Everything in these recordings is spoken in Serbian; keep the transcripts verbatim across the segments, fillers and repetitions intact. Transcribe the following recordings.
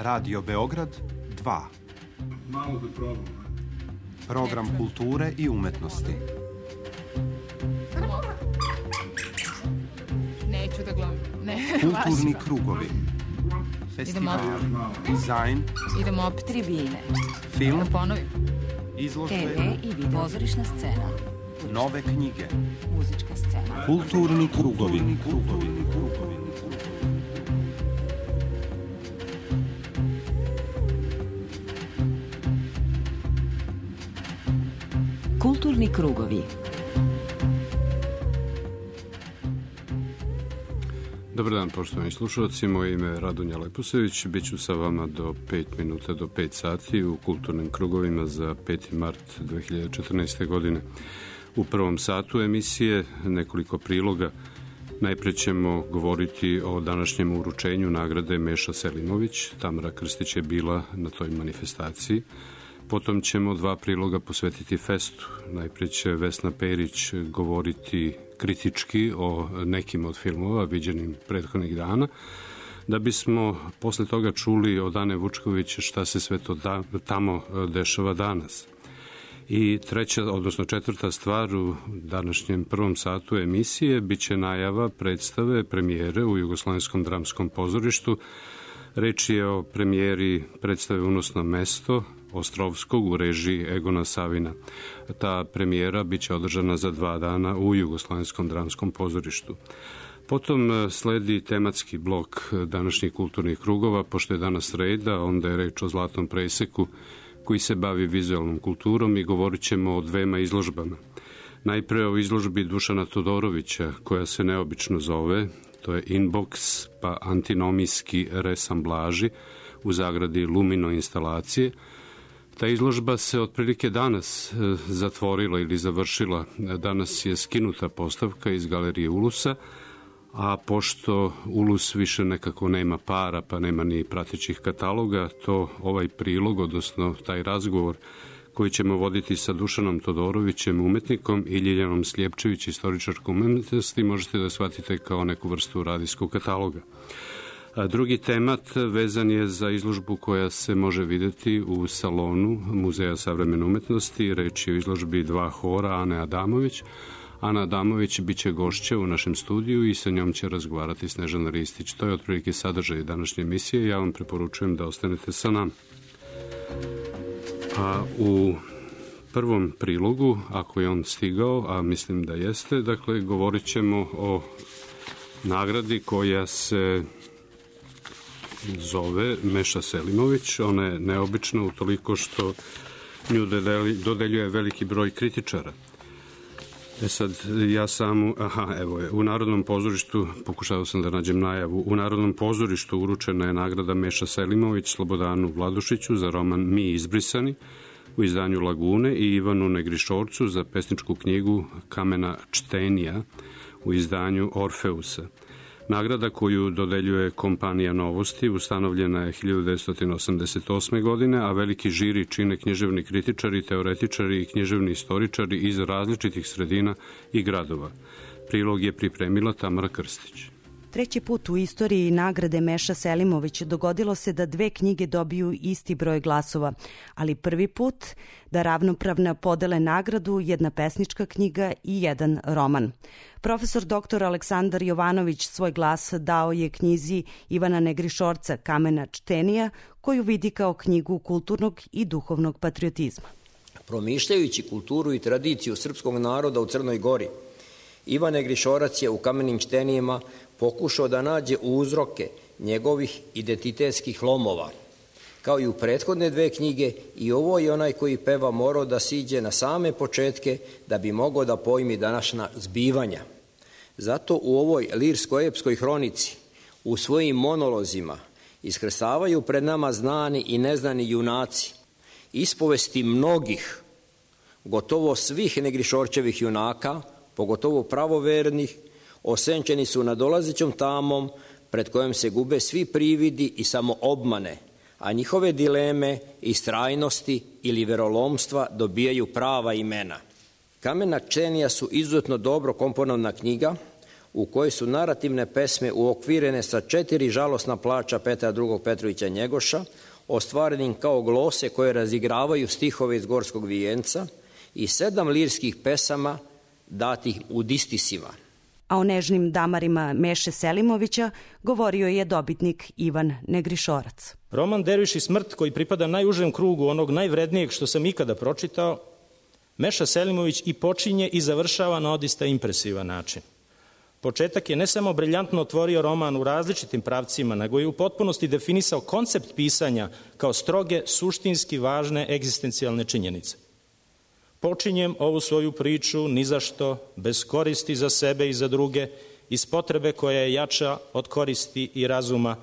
Radio Beograd dva. Malo da probam. Program kulture i umetnosti. Neću da gledam. Ne, Kulturni krugovi. Festival, dizajn. Idemo opet tribine. Film. Da ponovim. Izložbe. te ve i video. Pozorišna scena. Nove knjige. Muzička scena. Kulturni krugovi. Krugovi, krugovi. Kulturni krugovi. Dobar dan, poštovani slušalci, moje ime je Radonja Leposević, bit ću sa vama do pet minuta do pet sati u kulturnim krugovima za peti mart dve hiljade četrnaeste. godine. U prvom satu emisije nekoliko priloga. Najpre ćemo govoriti o današnjem uručenju nagrade Meša Selimović. Tamara Krstić je bila na toj manifestaciji. Potom ćemo dva priloga posvetiti festu. Najprije će Vesna Perić govoriti kritički o nekim od filmova viđenim prethodnih dana, da bismo posle toga čuli od Ane Vučković šta se sve to da, tamo dešava danas. I treća, odnosno četvrta stvar u današnjem prvom satu emisije biće najava predstave premijere u Jugoslovenskom dramskom pozorištu. Reč je o premijeri predstave Unosno mesto Ostrovskog u režiji Egona Savina. Ta premijera biće održana za dva dana u Jugoslovenskom dramskom pozorištu. Potom sledi tematski blok današnjih kulturnih krugova, pošto je danas sreda, onda je reč o Zlatnom preseku koji se bavi vizualnom kulturom i govorit ćemo o dvema izložbama. Najpre o izložbi Dušana Todorovića, koja se neobično zove, to je Inbox pa antinomijski resamblaži u zagradi Lumino instalacije. Ta izložba se otprilike danas zatvorila ili završila. Danas je skinuta postavka iz galerije Ulusa, a pošto Ulus više nekako nema para, pa nema ni pratećih kataloga, to ovaj prilog, odnosno taj razgovor koji ćemo voditi sa Dušanom Todorovićem, umetnikom, i Ljiljanom Sljepčević, istoričarkom umetnosti, možete da shvatite kao neku vrstu radijskog kataloga. A drugi temat vezan je za izložbu koja se može videti u salonu Muzeja savremene umetnosti. Reč je o izložbi dva hora Ane Adamović. Ana Adamović biće gošća u našem studiju i sa njom će razgovarati Snežana Ristić. To je otprilike sadržaj današnje emisije. Ja vam preporučujem da ostanete sa nama. A u prvom prilogu, ako je on stigao, a mislim da jeste, dakle, govorit ćemo o nagradi koja se zove Meša Selimović. Ona je neobična utoliko što nju dodeljuje veliki broj kritičara. E sad, ja sam, aha, evo je, u Narodnom pozorištu, pokušao sam da nađem najavu, u Narodnom pozorištu uručena je nagrada Meša Selimović Slobodanu Vladušiću za roman Mi izbrisani u izdanju Lagune i Ivanu Negrišorcu za pesničku knjigu Kamena čtenija u izdanju Orfeusa. Nagrada koju dodeljuje kompanija Novosti ustanovljena je hiljadu devetsto osamdeset osme. godine, a veliki žiri čine književni kritičari, teoretičari i književni istoričari iz različitih sredina i gradova. Prilog je pripremila Tamara Krstić. Treći put u istoriji nagrade Meša Selimović dogodilo se da dve knjige dobiju isti broj glasova, ali prvi put da ravnopravno podele nagradu jedna pesnička knjiga i jedan roman. Profesor doktor Aleksandar Jovanović svoj glas dao je knjizi Ivana Negrišorca Kamena čtenija, koju vidi kao knjigu kulturnog i duhovnog patriotizma. Promišljajući kulturu i tradiciju srpskog naroda u Crnoj Gori, Ivan Negrišorac je u Kamenim čtenijima pokušao da nađe uzroke njegovih identitetskih lomova. Kao i u prethodne dve knjige, i ovo je onaj koji peva morao da siđe na same početke da bi mogao da pojmi današnja zbivanja. Zato u ovoj lirsko-epskoj hronici, u svojim monolozima, iskrsavaju pred nama znani i neznani junaci, ispovesti mnogih, gotovo svih Negrišorčevih junaka, pogotovo pravovernih, osenčeni su nadolazećom tamom pred kojom se gube svi prividi i samo obmane, a njihove dileme, istrajnosti ili verolomstva dobijaju prava imena. Kamena čtenija su izuzetno dobro komponovna knjiga, u kojoj su narativne pesme uokvirene sa četiri žalosna plača Petra drugog Petrovića Njegoša, ostvarenim kao glose koje razigravaju stihove iz Gorskog vijenca i sedam lirskih pesama datih u distisima. A o nežnim damarima Meše Selimovića govorio je dobitnik Ivan Negrišorac. Roman Derviš i smrt, koji pripada najužem krugu onog najvrednijeg što sam ikada pročitao, Meša Selimović i počinje i završava na odista impresivan način. Početak je ne samo briljantno otvorio roman u različitim pravcima, nego je u potpunosti definisao koncept pisanja kao stroge, suštinski važne egzistencijalne činjenice. Počinjem ovu svoju priču nizašto, bez koristi za sebe i za druge, iz potrebe koja je jača od koristi i razuma,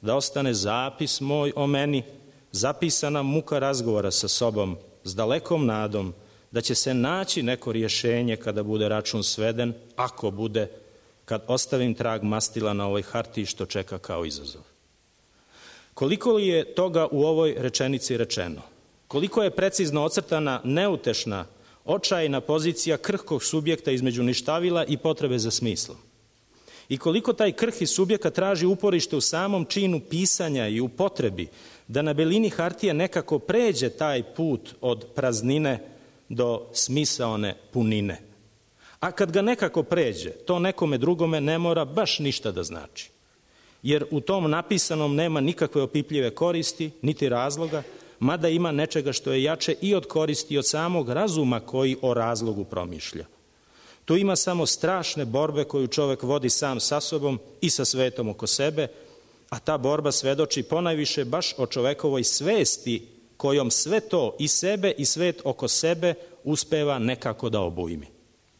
da ostane zapis moj o meni, zapisana muka razgovora sa sobom, s dalekom nadom, da će se naći neko rješenje kada bude račun sveden, ako bude, kad ostavim trag mastila na ovoj hartiji što čeka kao izazov. Koliko li je toga u ovoj rečenici rečeno? Koliko je precizno ocrtana neutešna, očajna pozicija krhkog subjekta između ništavila i potrebe za smislom? I koliko taj krhki subjekat traži uporište u samom činu pisanja i u potrebi da na belini hartije nekako pređe taj put od praznine do smisaone punine. A kad ga nekako pređe, to nekome drugome ne mora baš ništa da znači. Jer u tom napisanom nema nikakve opipljive koristi, niti razloga, mada ima nečega što je jače i od koristi i od samog razuma koji o razlogu promišlja. Tu ima samo strašne borbe koju čovek vodi sam sa sobom i sa svetom oko sebe, a ta borba svedoči ponajviše baš o čovekovoj svesti kojom sve to i sebe i svet oko sebe uspeva nekako da obujmi.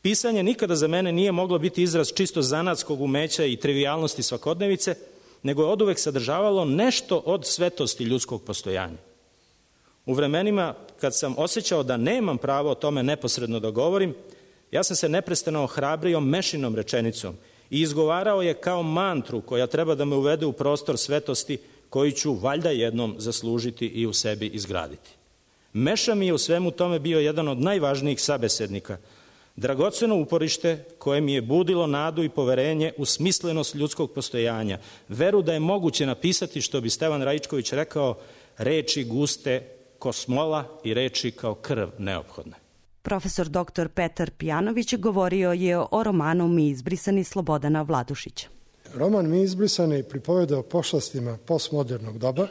Pisanje nikada za mene nije moglo biti izraz čisto zanatskog umeća i trivijalnosti svakodnevice, nego je oduvek sadržavalo nešto od svetosti ljudskog postojanja. U vremenima kad sam osjećao da nemam pravo o tome neposredno da govorim, ja sam se neprestano ohrabrio Mešinom rečenicom i izgovarao je kao mantru koja treba da me uvede u prostor svetosti koji ću valjda jednom zaslužiti i u sebi izgraditi. Meša mi je u svemu tome bio jedan od najvažnijih sabesednika, dragoceno uporište koje mi je budilo nadu i poverenje u smislenost ljudskog postojanja, veru da je moguće napisati, što bi Stevan Raičković rekao, reči guste ko smola i reči kao krv neophodne. Profesor doktor Petar Pijanović govorio je o romanu Mi izbrisani Slobodana Vladušića. Roman Mi izbrisani pripoveda o pošlastima postmodernog doba,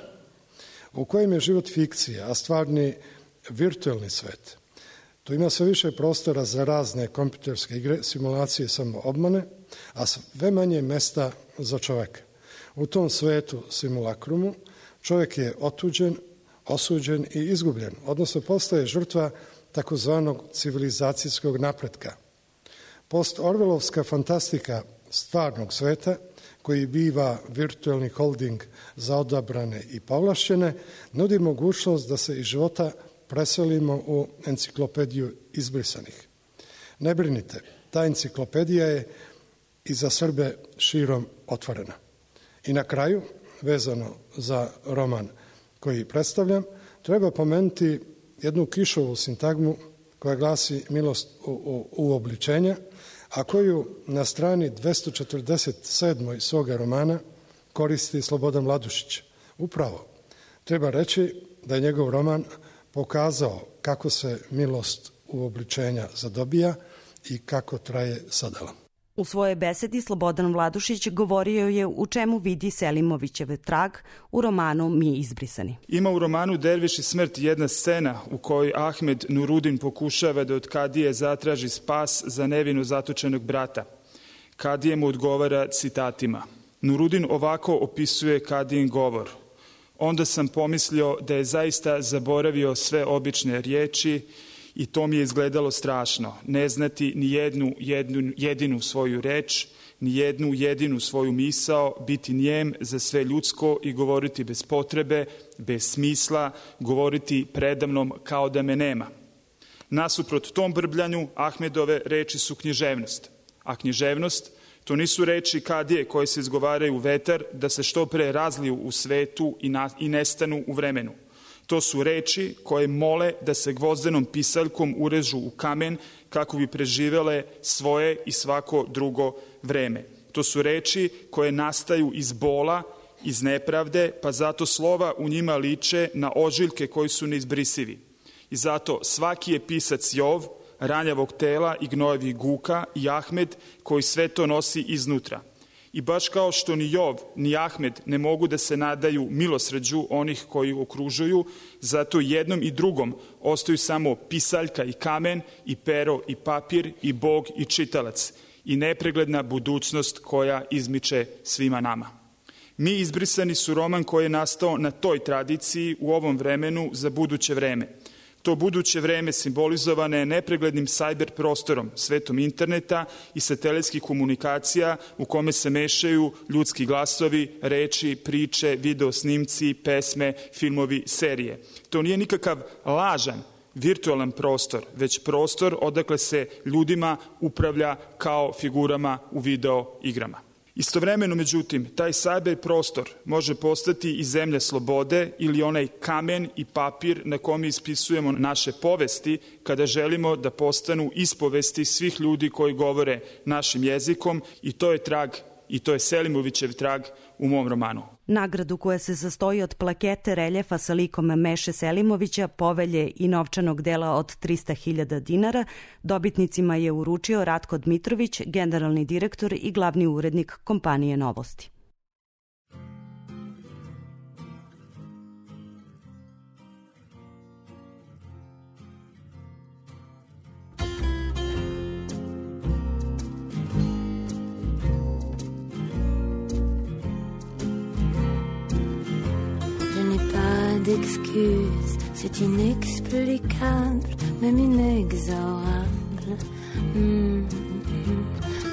u kojem je život fikcija, a stvarni virtuelni svet. Tu ima sve više prostora za razne kompjuterske igre, simulacije, samo obmane, a sve manje mesta za čoveka. U tom svetu simulakrumu čovjek je otuđen, osuđen i izgubljen, odnosno postaje žrtva takozvanog civilizacijskog napretka. Post-orvelovska fantastika stvarnog sveta, koji biva virtualni holding za odabrane i povlašćene, nudi mogućnost da se iz života preselimo u enciklopediju izbrisanih. Ne brinite, ta enciklopedija je i za Srbe širom otvorena. I na kraju, vezano za roman koji predstavljam, treba pomenuti jednu Kišovu sintagmu koja glasi milost u, u, uobličenja, a koju na strani dvesta četrdeset sedam svoga romana koristi Slobodan Vladušić. Upravo, treba reći da je njegov roman pokazao kako se milost uobličenja zadobija i kako traje sadala. U svojoj besedi Slobodan Vladušić govorio je u čemu vidi Selimovićev trag u romanu Mi izbrisani. Ima u romanu Derviš i smrt jedna scena u kojoj Ahmed Nurudin pokušava da od Kadije zatraži spas za nevino zatočenog brata. Kadije mu odgovara citatima. Nurudin ovako opisuje Kadijin govor. Onda sam pomislio da je zaista zaboravio sve obične riječi i to mi je izgledalo strašno. Ne znati ni jednu, jednu jedinu svoju reč, ni jednu jedinu svoju misao, biti njem za sve ljudsko i govoriti bez potrebe, bez smisla, govoriti predamnom kao da me nema. Nasuprot tom brbljanju, Ahmedove reči su književnost. A književnost, to nisu reči Kadije koje se izgovaraju u vetar da se što pre razliju u svetu i, na, i nestanu u vremenu. To su reči koje mole da se gvozdenom pisaljkom urežu u kamen kako bi preživele svoje i svako drugo vreme. To su reči koje nastaju iz bola, iz nepravde, pa zato slova u njima liče na ožiljke koji su neizbrisivi. I zato svaki je pisac Jov, ranjavog tela i gnojevih guka, i Ahmed koji sve to nosi iznutra. I baš kao što ni Jov, ni Ahmed ne mogu da se nadaju milosrđu onih koji okružuju, zato jednom i drugom ostaju samo pisaljka i kamen, i pero i papir, i Bog i čitalac, i nepregledna budućnost koja izmiče svima nama. Mi izbrisani su roman koji je nastao na toj tradiciji u ovom vremenu za buduće vreme. To buduće vreme simbolizovane je nepreglednim sajber prostorom, svetom interneta i satelitskih komunikacija u kome se mešaju ljudski glasovi, reči, priče, video snimci, pesme, filmovi, serije. To nije nikakav lažan, virtualan prostor, već prostor odakle se ljudima upravlja kao figurama u video igrama. Istovremeno, međutim, taj sajber prostor može postati i zemlja slobode ili onaj kamen i papir na kome ispisujemo naše povesti kada želimo da postanu ispovesti svih ljudi koji govore našim jezikom, i to je trag, i to je Selimovićev trag u mom romanu. Nagradu koja se sastoji od plakete, reljefa sa likom Meše Selimovića, povelje i novčanog dela od trista hiljada dinara dobitnicima je uručio Ratko Dmitrović, generalni direktor i glavni urednik kompanije Novosti. D'excuses, c'est inexplicable, même inexorable. Mmh, mmh.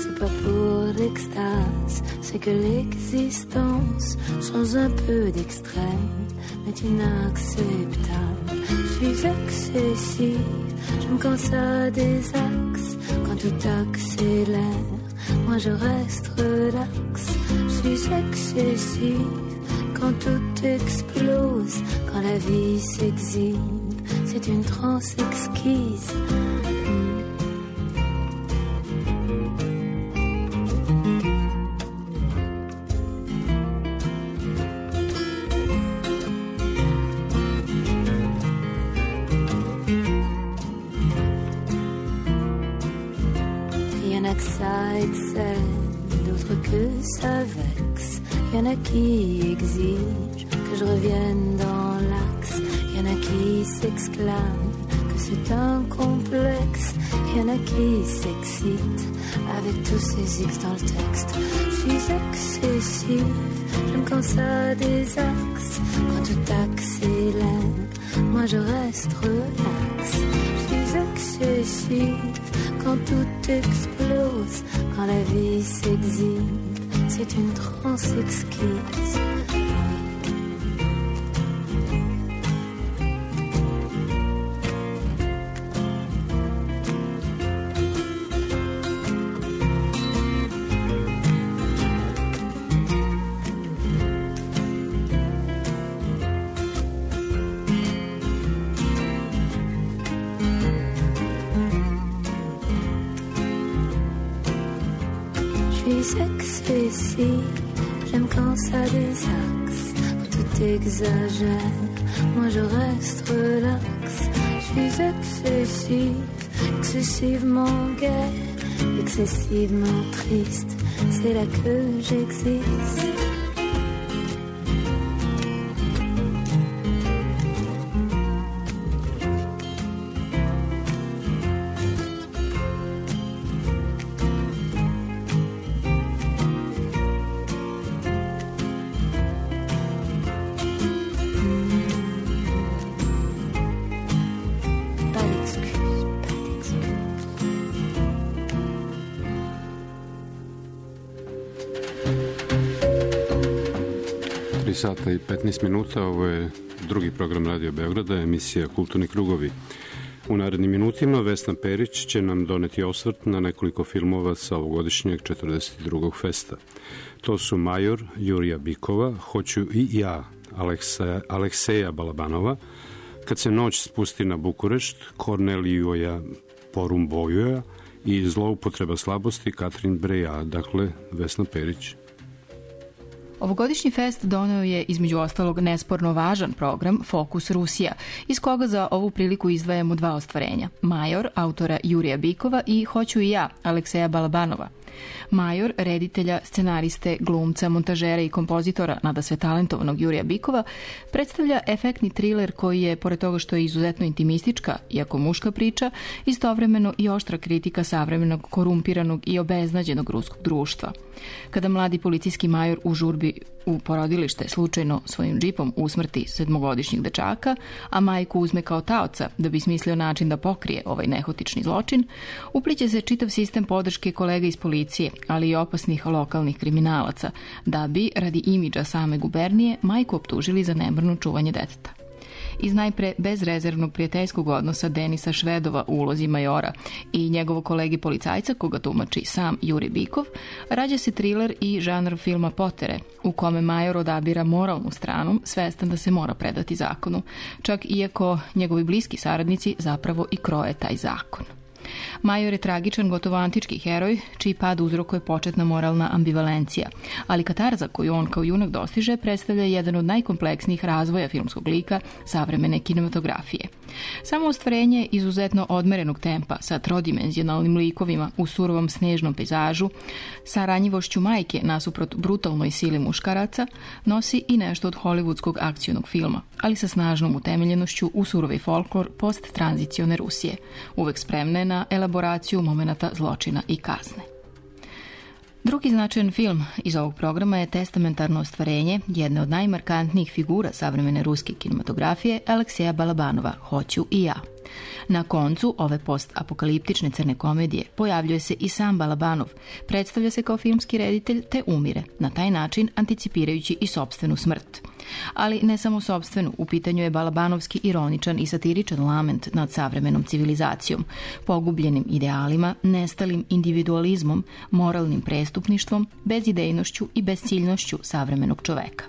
C'est pas pour l'extase, c'est que l'existence change un peu d'extrême, mais inacceptable. Je suis excessive, je me quand ça des axes, quand tout accélère, moi je reste relax. Je suis excessive quand tout explose, quand la vie s'exhibe, c'est une transe exquise. Mm. Y en a que ça excelle, d'autres que ça vexe. Y en a qui exigent que je revienne dans l'axe. Y en a qui s'exclament que c'est un complexe. Y en a qui s'excitent avec tous ces X dans le texte. Je suis excessive, j'aime quand ça des axes. Quand tout accélère, moi je reste relax. Je suis excessive quand tout explose, quand la vie s'exhibe, c'est une transe exquise. J'aime quand ça désaxe, quand tout exagère, moi je reste relax. Je suis excessive, excessivement gaie, excessivement triste, c'est là que j'existe. Sata i petnaest minuta, ovo je drugi program Radio Beograda, emisija Kulturni krugovi. U narednim minutima Vesna Perić će nam doneti osvrt na nekoliko filmova sa ovogodišnjeg četrdeset drugog festa. To su Major Jurija Bikova, Hoću i ja Aleksa, Alekseja Balabanova, Kad se noć spusti na Bukurešt Kornelijoja Porumbojoja i Zloupotreba slabosti Katrin Breja, dakle Vesna Perić. Ovogodišnji fest doneo je između ostalog nesporno važan program Fokus Rusija, iz koga za ovu priliku izdvajamo dva ostvarenja. Major, autora Jurija Bikova i Hoću i ja, Alekseja Balabanova. Major, reditelja, scenariste, glumca, montažera i kompozitora nadasve talentovanog Jurija Bikova, predstavlja efektni triler koji je, pored toga što je izuzetno intimistička, iako muška priča, istovremeno i oštra kritika savremenog, korumpiranog i obeznađenog ruskog društva. Kada mladi policijski major u žurbi u porodilište slučajno svojim džipom usmrti sedmogodišnjeg dečaka, a majku uzme kao taoca da bi smislio način da pokrije ovaj nehotični zločin, upliće se čitav sistem podrške kolega iz policije, ali i opasnih lokalnih kriminalaca, da bi, radi imidža same gubernije, majku optužili za nemarno čuvanje deteta. Iz najpre bezrezervnog prijateljskog odnosa Denisa Švedova u ulozi majora i njegovog kolegi policajca, koga tumači sam Juri Bikov, rađa se triler i žanr filma Potere, u kome major odabira moralnu stranu, svestan da se mora predati zakonu, čak iako njegovi bliski saradnici zapravo i kroje taj zakon. Major je tragičan, gotovo antički heroj, čiji pad uzrokuje početna moralna ambivalencija, ali katarza koju on kao junak dostiže predstavlja jedan od najkompleksnijih razvoja filmskog lika savremene kinematografije. Samo ostvarenje izuzetno odmerenog tempa sa trodimenzionalnim likovima u surovom snežnom pejzažu, sa ranjivošću majke nasuprot brutalnoj sili muškaraca, nosi i nešto od hollywoodskog akcionog filma, ali sa snažnom utemeljenošću u surovi folklor post-tranzicione Rusije, uvek spremne na elaboraciju momenata zločina i kazne. Drugi značajan film iz ovog programa je testamentarno ostvarenje jedne od najmarkantnijih figura savremene ruske kinematografije, Alekseja Balabanova, Hoću i ja. Na koncu ove post-apokaliptične crne komedije pojavljuje se i sam Balabanov, predstavlja se kao filmski reditelj te umire, na taj način anticipirajući i sopstvenu smrt. Ali ne samo sopstvenu, u pitanju je balabanovski ironičan i satiričan lament nad savremenom civilizacijom, pogubljenim idealima, nestalim individualizmom, moralnim prestupništvom, bezidejnošću i bezciljnošću savremenog čoveka.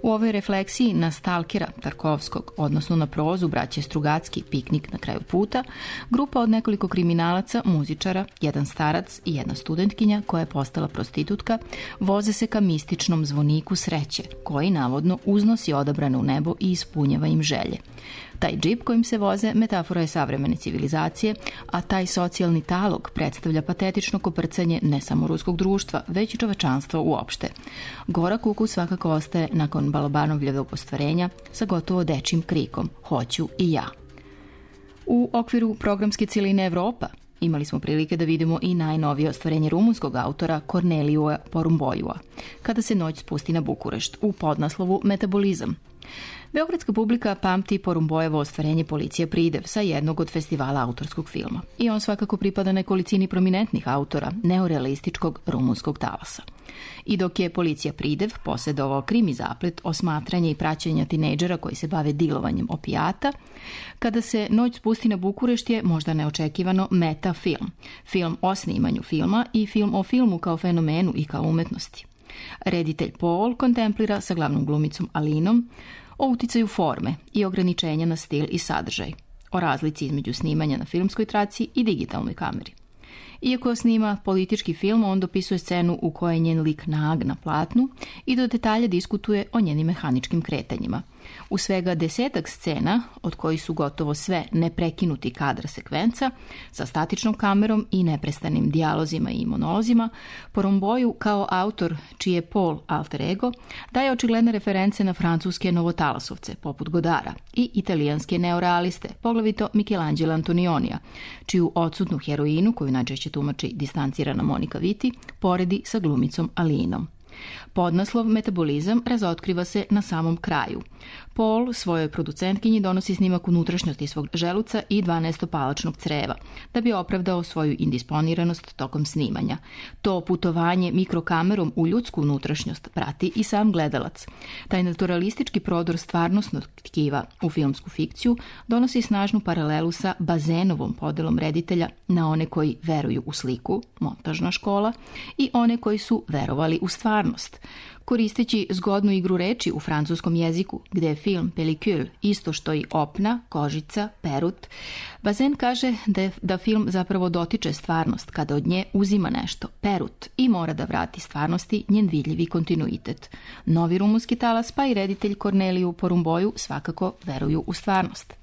U ovoj refleksiji na stalkera Tarkovskog, odnosno na prozu braće Strugacki, Piknik na kraju puta, grupa od nekoliko kriminalaca, muzičara, jedan starac i jedna studentkinja koja je postala prostitutka, voze se ka mističnom zvoniku sreće, koji navodno uznosi odabrane u nebo i ispunjava im želje. Taj džip kojim se voze metafora je savremene civilizacije, a taj socijalni talog predstavlja patetično koprcanje ne samo ruskog društva, već i čovečanstva uopšte. Gorak ukus svakako ostaje nakon Balabanovljevog ostvarenja sa gotovo dečim krikom Hoću i ja. U okviru programske cijeline Evropa imali smo prilike da vidimo i najnovije ostvarenje rumunskog autora Kornelija Porumboiua, Kada se noć spusti na Bukurešt, u podnaslovu Metabolizam. Beogradska publika pamti Porumbojevo ostvarenje Policija pridev sa jednog od festivala autorskog filma. I on svakako pripada nekolicini prominentnih autora neorealističkog rumunskog talasa. I dok je Policija pridev posjedovao krimi zaplet osmatranja i praćenja tinejdžera koji se bave dilovanjem opijata, Kada se noć spusti na Bukurešt je možda neočekivano meta film. Film o snimanju filma i film o filmu kao fenomenu i kao umetnosti. Reditelj Paul kontemplira sa glavnom glumicom Alinom o uticaju forme i ograničenja na stil i sadržaj, o razlici između snimanja na filmskoj traci i digitalnoj kameri. Iako snima politički film, on dopisuje scenu u kojoj je njen lik nag na platnu i do detalja diskutuje o njenim mehaničkim kretanjima. U svega desetak scena, od kojih su gotovo sve neprekinuti kadar sekvenca, sa statičnom kamerom i neprestanim dijalozima i monolozima, Porumboiu kao autor, čiji je Paul alter ego, daje očigledne reference na francuske novotalasovce, poput Godara, i italijanske neorealiste, poglavito Michelangelo Antonionija, čiju odsutnu heroinu, koju najčešće tumači distancirana Monika Viti, poredi sa glumicom Alinom. Podnaslov Metabolizam razotkriva se na samom kraju. Paul svojoj producentkinji donosi snimak unutrašnjosti svog želuca i dvanaestopalačnog creva, da bi opravdao svoju indisponiranost tokom snimanja. To putovanje mikrokamerom u ljudsku unutrašnjost prati i sam gledalac. Taj naturalistički prodor stvarnostnog tkiva u filmsku fikciju donosi snažnu paralelu sa Bazenovom podelom reditelja na one koji veruju u sliku, montažna škola, i one koji su verovali u stvarnost, stvarnost. Koristeći zgodnu igru reči u francuskom jeziku, gde je film pellicule isto što i opna, kožica, perut, Bazin kaže da, je, da film zapravo dotiče stvarnost kada od nje uzima nešto, perut, i mora da vrati stvarnosti njen vidljivi kontinuitet. Novi rumunski talas pa i reditelj Korneliju Porumboju svakako veruju u stvarnost.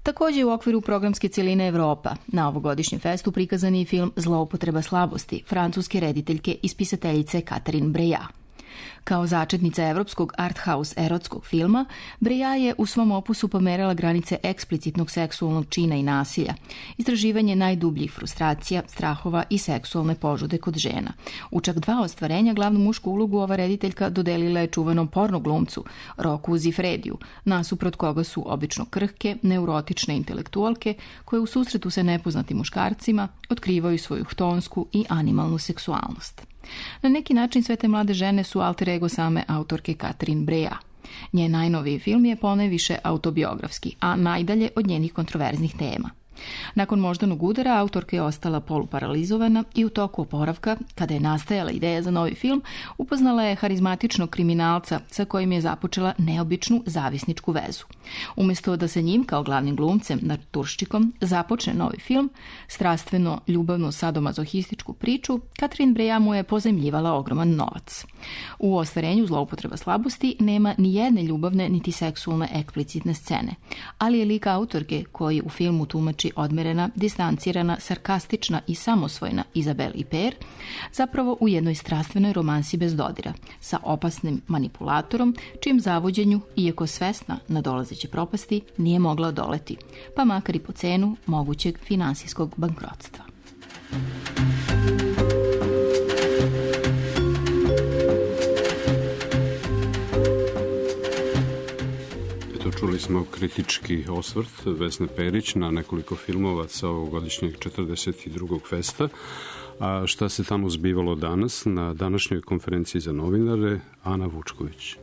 Takođe u okviru programske cijeline Evropa na ovogodišnjem festu prikazan je i film Zloupotreba slabosti francuske rediteljke i spisateljice Catherine Breillat. Kao začetnica evropskog art house erotskog filma, Breillat je u svom opusu pomerala granice eksplicitnog seksualnog čina i nasilja, istraživanje najdubljih frustracija, strahova i seksualne požude kod žena. U čak dva ostvarenja glavnu mušku ulogu ova rediteljka dodelila je čuvenom porno glumcu Roku Zifrediju, nasuprot koga su obično krhke, neurotične intelektualke koje u susretu sa nepoznatim muškarcima otkrivaju svoju htonsku i animalnu seksualnost. Na neki način sve te mlade žene su alter ego same autorke Catherine Breillat. Njen najnoviji film je ponajviše autobiografski, a najdalje od njenih kontroverznih tema. Nakon moždanog udara, autorka je ostala poluparalizovana i u toku oporavka, kada je nastajala ideja za novi film, upoznala je harizmatičnog kriminalca sa kojim je započela neobičnu zavisničku vezu. Umesto da sa njim, kao glavnim glumcem, naturščikom, započne novi film, strastveno, ljubavno, sadomazohističku priču, Catherine Breillat mu je pozajmljivala ogroman novac. U ostvarenju Zloupotreba slabosti nema ni jedne ljubavne niti seksualne eksplicitne scene, ali je lik autorke koji u filmu tumači odmerena, distancirana, sarkastična i samosvojna Izabel Iper, zapravo u jednoj strastvenoj romansi bez dodira, sa opasnim manipulatorom, čijem zavođenju, iako svesna nadolazeće propasti, nije mogla odoleti, pa makar i po cenu mogućeg finansijskog bankrotstva. Čuli smo kritički osvrt Vesne Perić na nekoliko filmova sa ovogodišnjeg četrdeset drugog festa. A šta se tamo zbivalo danas na današnjoj konferenciji za novinare? Ana Vučković.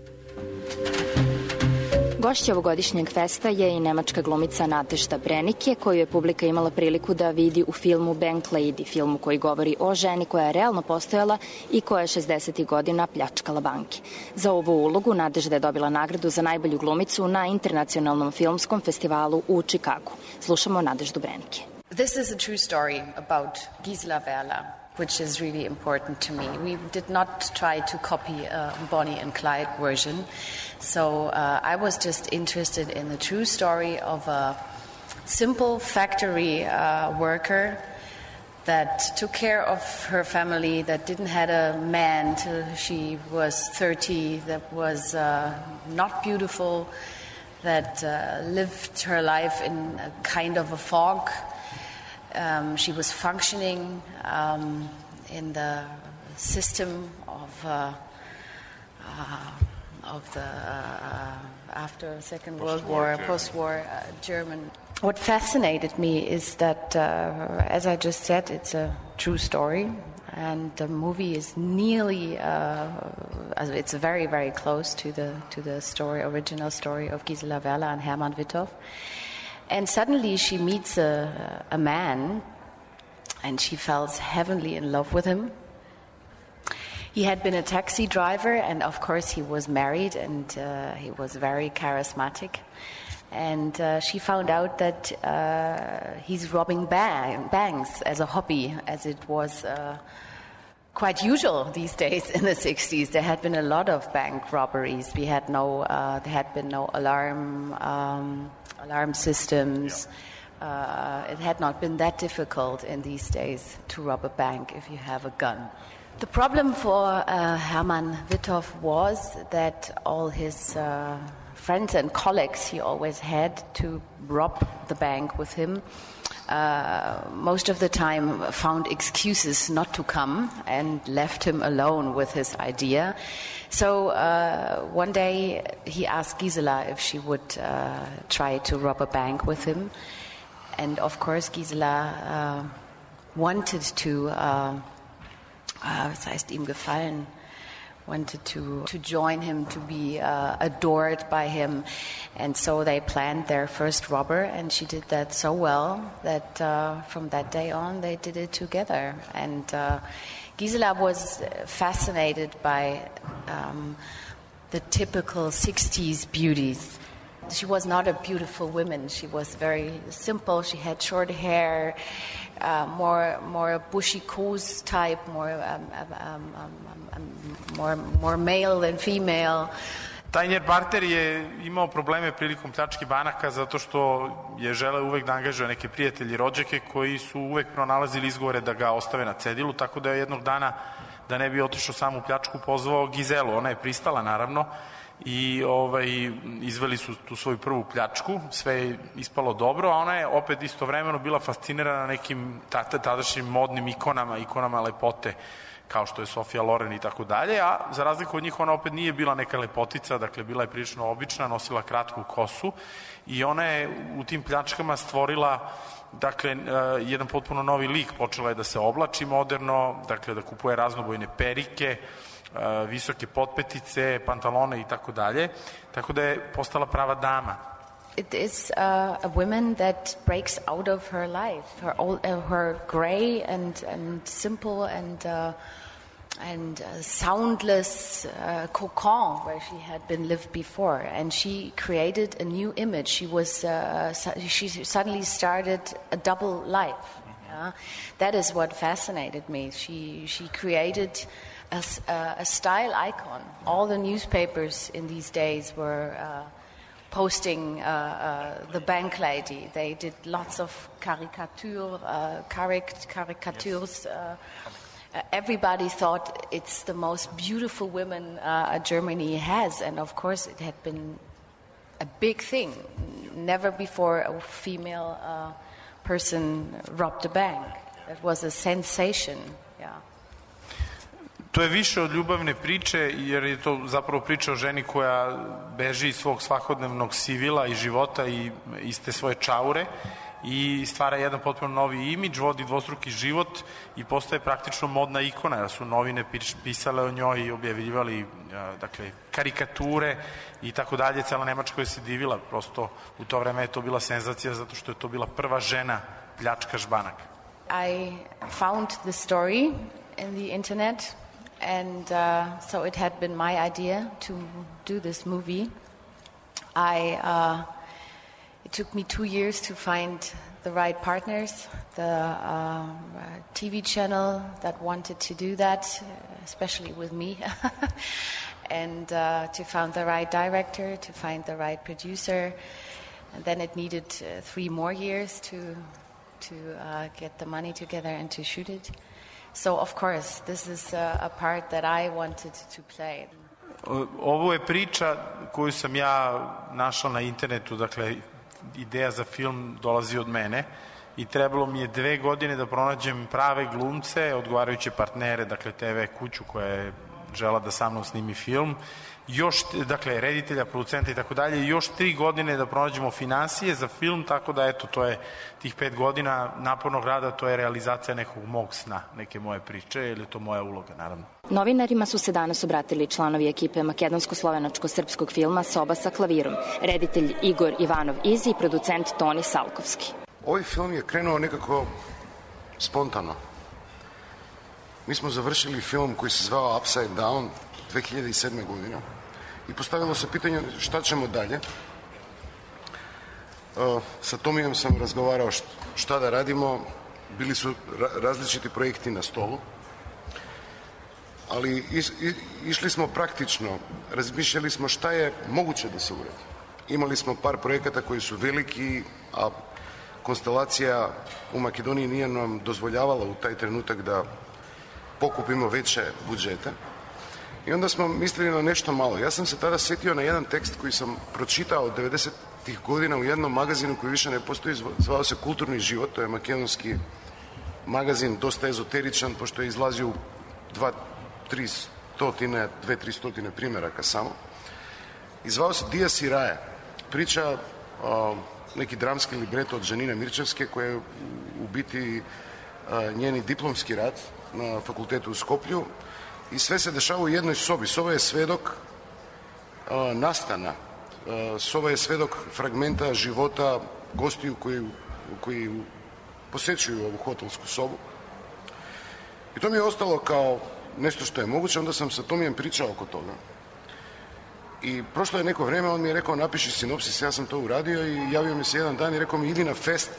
Gošća ovogodišnjeg festa je i nemačka glumica Natežda Brenike, koju je publika imala priliku da vidi u filmu Bank Lady, filmu koji govori o ženi koja je realno postojala i koja je šezdesetih godina pljačkala banke. Za ovu ulogu Natežda je dobila nagradu za najbolju glumicu na internacionalnom filmskom festivalu u Čikagu. Slušamo Nateždu Brenike. This is a true story about Gisela Werler, which is really important to me. We did not try to copy a Bonnie and Clyde version, so uh, I was just interested in the true story of a simple factory uh, worker that took care of her family, that didn't have a man till she was thirty, that was uh, not beautiful, that uh, lived her life in a kind of a fog. Um, she was functioning um, in the system of uh, uh, of the uh, after Second World War, post-war uh, German. What fascinated me is that, uh, as I just said, it's a true story, and the movie is nearly uh, it's very very close to the to the story, original story of Gisela Werler and Hermann Witthoff. And suddenly she meets a, a man, and she falls heavenly in love with him. He had been a taxi driver, and of course he was married, and uh, he was very charismatic. And uh, she found out that uh, he's robbing bang, banks as a hobby, as it was uh, quite usual these days in the sixties. There had been a lot of bank robberies. We had no, uh, there had been no alarm. Um, alarm systems. Uh, it had not been that difficult in these days to rob a bank if you have a gun. The problem for uh, Hermann Witthoff was that all his uh, friends and colleagues he always had to rob the bank with him uh, most of the time found excuses not to come and left him alone with his idea. So uh, one day he asked Gisela if she would uh, try to rob a bank with him. And of course Gisela uh, wanted to, uh, uh, was heißt ihm gefallen, wanted to, to join him, to be uh, adored by him. And so they planned their first robber, and she did that so well that uh, from that day on they did it together. And uh, Gisela was fascinated by um, the typical sixties beauties. She was not a beautiful woman. She was very simple. She had short hair, uh, more more bushy coos type, more um, um, um, um, more more male than female. Taj barter je imao probleme prilikom pljačke banaka zato što je želeo uvek da angažuje neke prijatelji i rođake koji su uvek pronalazili izgovore da ga ostave na cedilu, tako da je jednog dana, da ne bi otišao sam u pljačku, pozvao Gizelu. Ona je pristala, naravno, i ovaj, izveli su tu svoju prvu pljačku, sve je ispalo dobro, a ona je opet istovremeno bila fascinirana nekim tadašnjim modnim ikonama, ikonama lepote, kao što je Sofia Loren i tako dalje, a za razliku od njih ona opet nije bila neka lepotica, dakle bila je prilično obična, nosila kratku kosu i ona je u tim pljačkama stvorila dakle, jedan potpuno novi lik, počela je da se oblači moderno, dakle da kupuje raznobojne perike, visoke potpetice, pantalone i tako dalje, tako da je postala prava dama. It is uh, a woman that breaks out of her life, her old, uh, her gray and and simple and uh, and uh, soundless uh, cocon where she had been lived before, and she created a new image. She was uh, su- she suddenly started a double life. Yeah? That is what fascinated me. She she created a, a style icon. All the newspapers in these days were Uh, posting uh, uh, the bank lady. They did lots of caricature, uh, caric- caricatures. Uh, uh, everybody thought it's the most beautiful woman uh, Germany has, and of course it had been a big thing. Never before a female uh, person robbed a bank. It was a sensation, yeah. To je više od ljubavne priče, jer je to zapravo priča o ženi koja beži iz svog svakodnevnog sivila i života i iz te svoje čaure i stvara jedan potpuno novi imidž, vodi dvostruki život i postaje praktično modna ikona, jer su novine pisale o njoj i objavljivali dakle, karikature i tako dalje. Cela Nemačka je se divila, prosto u to vreme je to bila senzacija zato što je to bila prva žena pljačkaš banaka. I found the story in the internet. And uh, so it had been my idea to do this movie. I uh, it took me two years to find the right partners, the uh, T V channel that wanted to do that, especially with me, and uh, to find the right director, to find the right producer. And then it needed uh, three more years to to uh, get the money together and to shoot it. So, of course, this is a, a part that I wanted to play. Ovo je priča koju sam ja našla na internetu, dakle, ideja za film dolazi od mene i trebalo mi je dve godine da pronađem prave glumce, odgovarajuće partnere, dakle, te ve kuću koja je žela da sa mnom snimi film, još, dakle, reditelja, producenta i tako dalje, još tri godine da pronađemo finansije za film, tako da, eto, to je tih pet godina napornog rada, to je realizacija nekog mog sna, neke moje priče, ili je to moja uloga, naravno. Novinarima su se danas obratili članovi ekipe makedonsko-slovenačko-srpskog filma Soba sa klavirom, reditelj Igor Ivanov Izi i producent Toni Salkovski. Ovaj film je krenuo nekako spontano. Mi smo završili film koji se zvao Upside Down dve hiljade sedme. godine i postavilo se pitanje šta ćemo dalje. Uh, sa Tomijom sam razgovarao šta da radimo, bili su ra- različiti projekti na stolu, ali is, i, išli smo praktično, razmišljali smo šta je moguće da se uradi. Imali smo par projekata koji su veliki, a konstelacija u Makedoniji nije nam dozvoljavala u taj trenutak da pokupimo veće budžete. I onda smo mislili na nešto malo. Ja sam se tada setio na jedan tekst koji sam pročitao od devedesetih godina u jednom magazinu koji više ne postoji, zvao se Kulturni život, to je makedonski magazin, dosta ezoteričan, pošto je izlazio u dva, tri stotine, dve, tri stotine primjeraka samo. I zvao se Dijas i Raja. Priča o, neki dramski libreto od Žanine Mirčevske, koja je u, u biti a, njeni diplomski rad na fakultetu u Skoplju. I sve se dešava u jednoj sobi. Soba je svedok a, nastana. A, soba je svedok fragmenta života gostiju koji, koji posećuju ovu hotelsku sobu. I to mi je ostalo kao nešto što je moguće, onda sam sa Tomijem pričao oko toga. I prošlo je neko vrijeme, on mi je rekao napiši sinopsis, ja sam to uradio i javio mi se jedan dan i rekao mi idi na fest,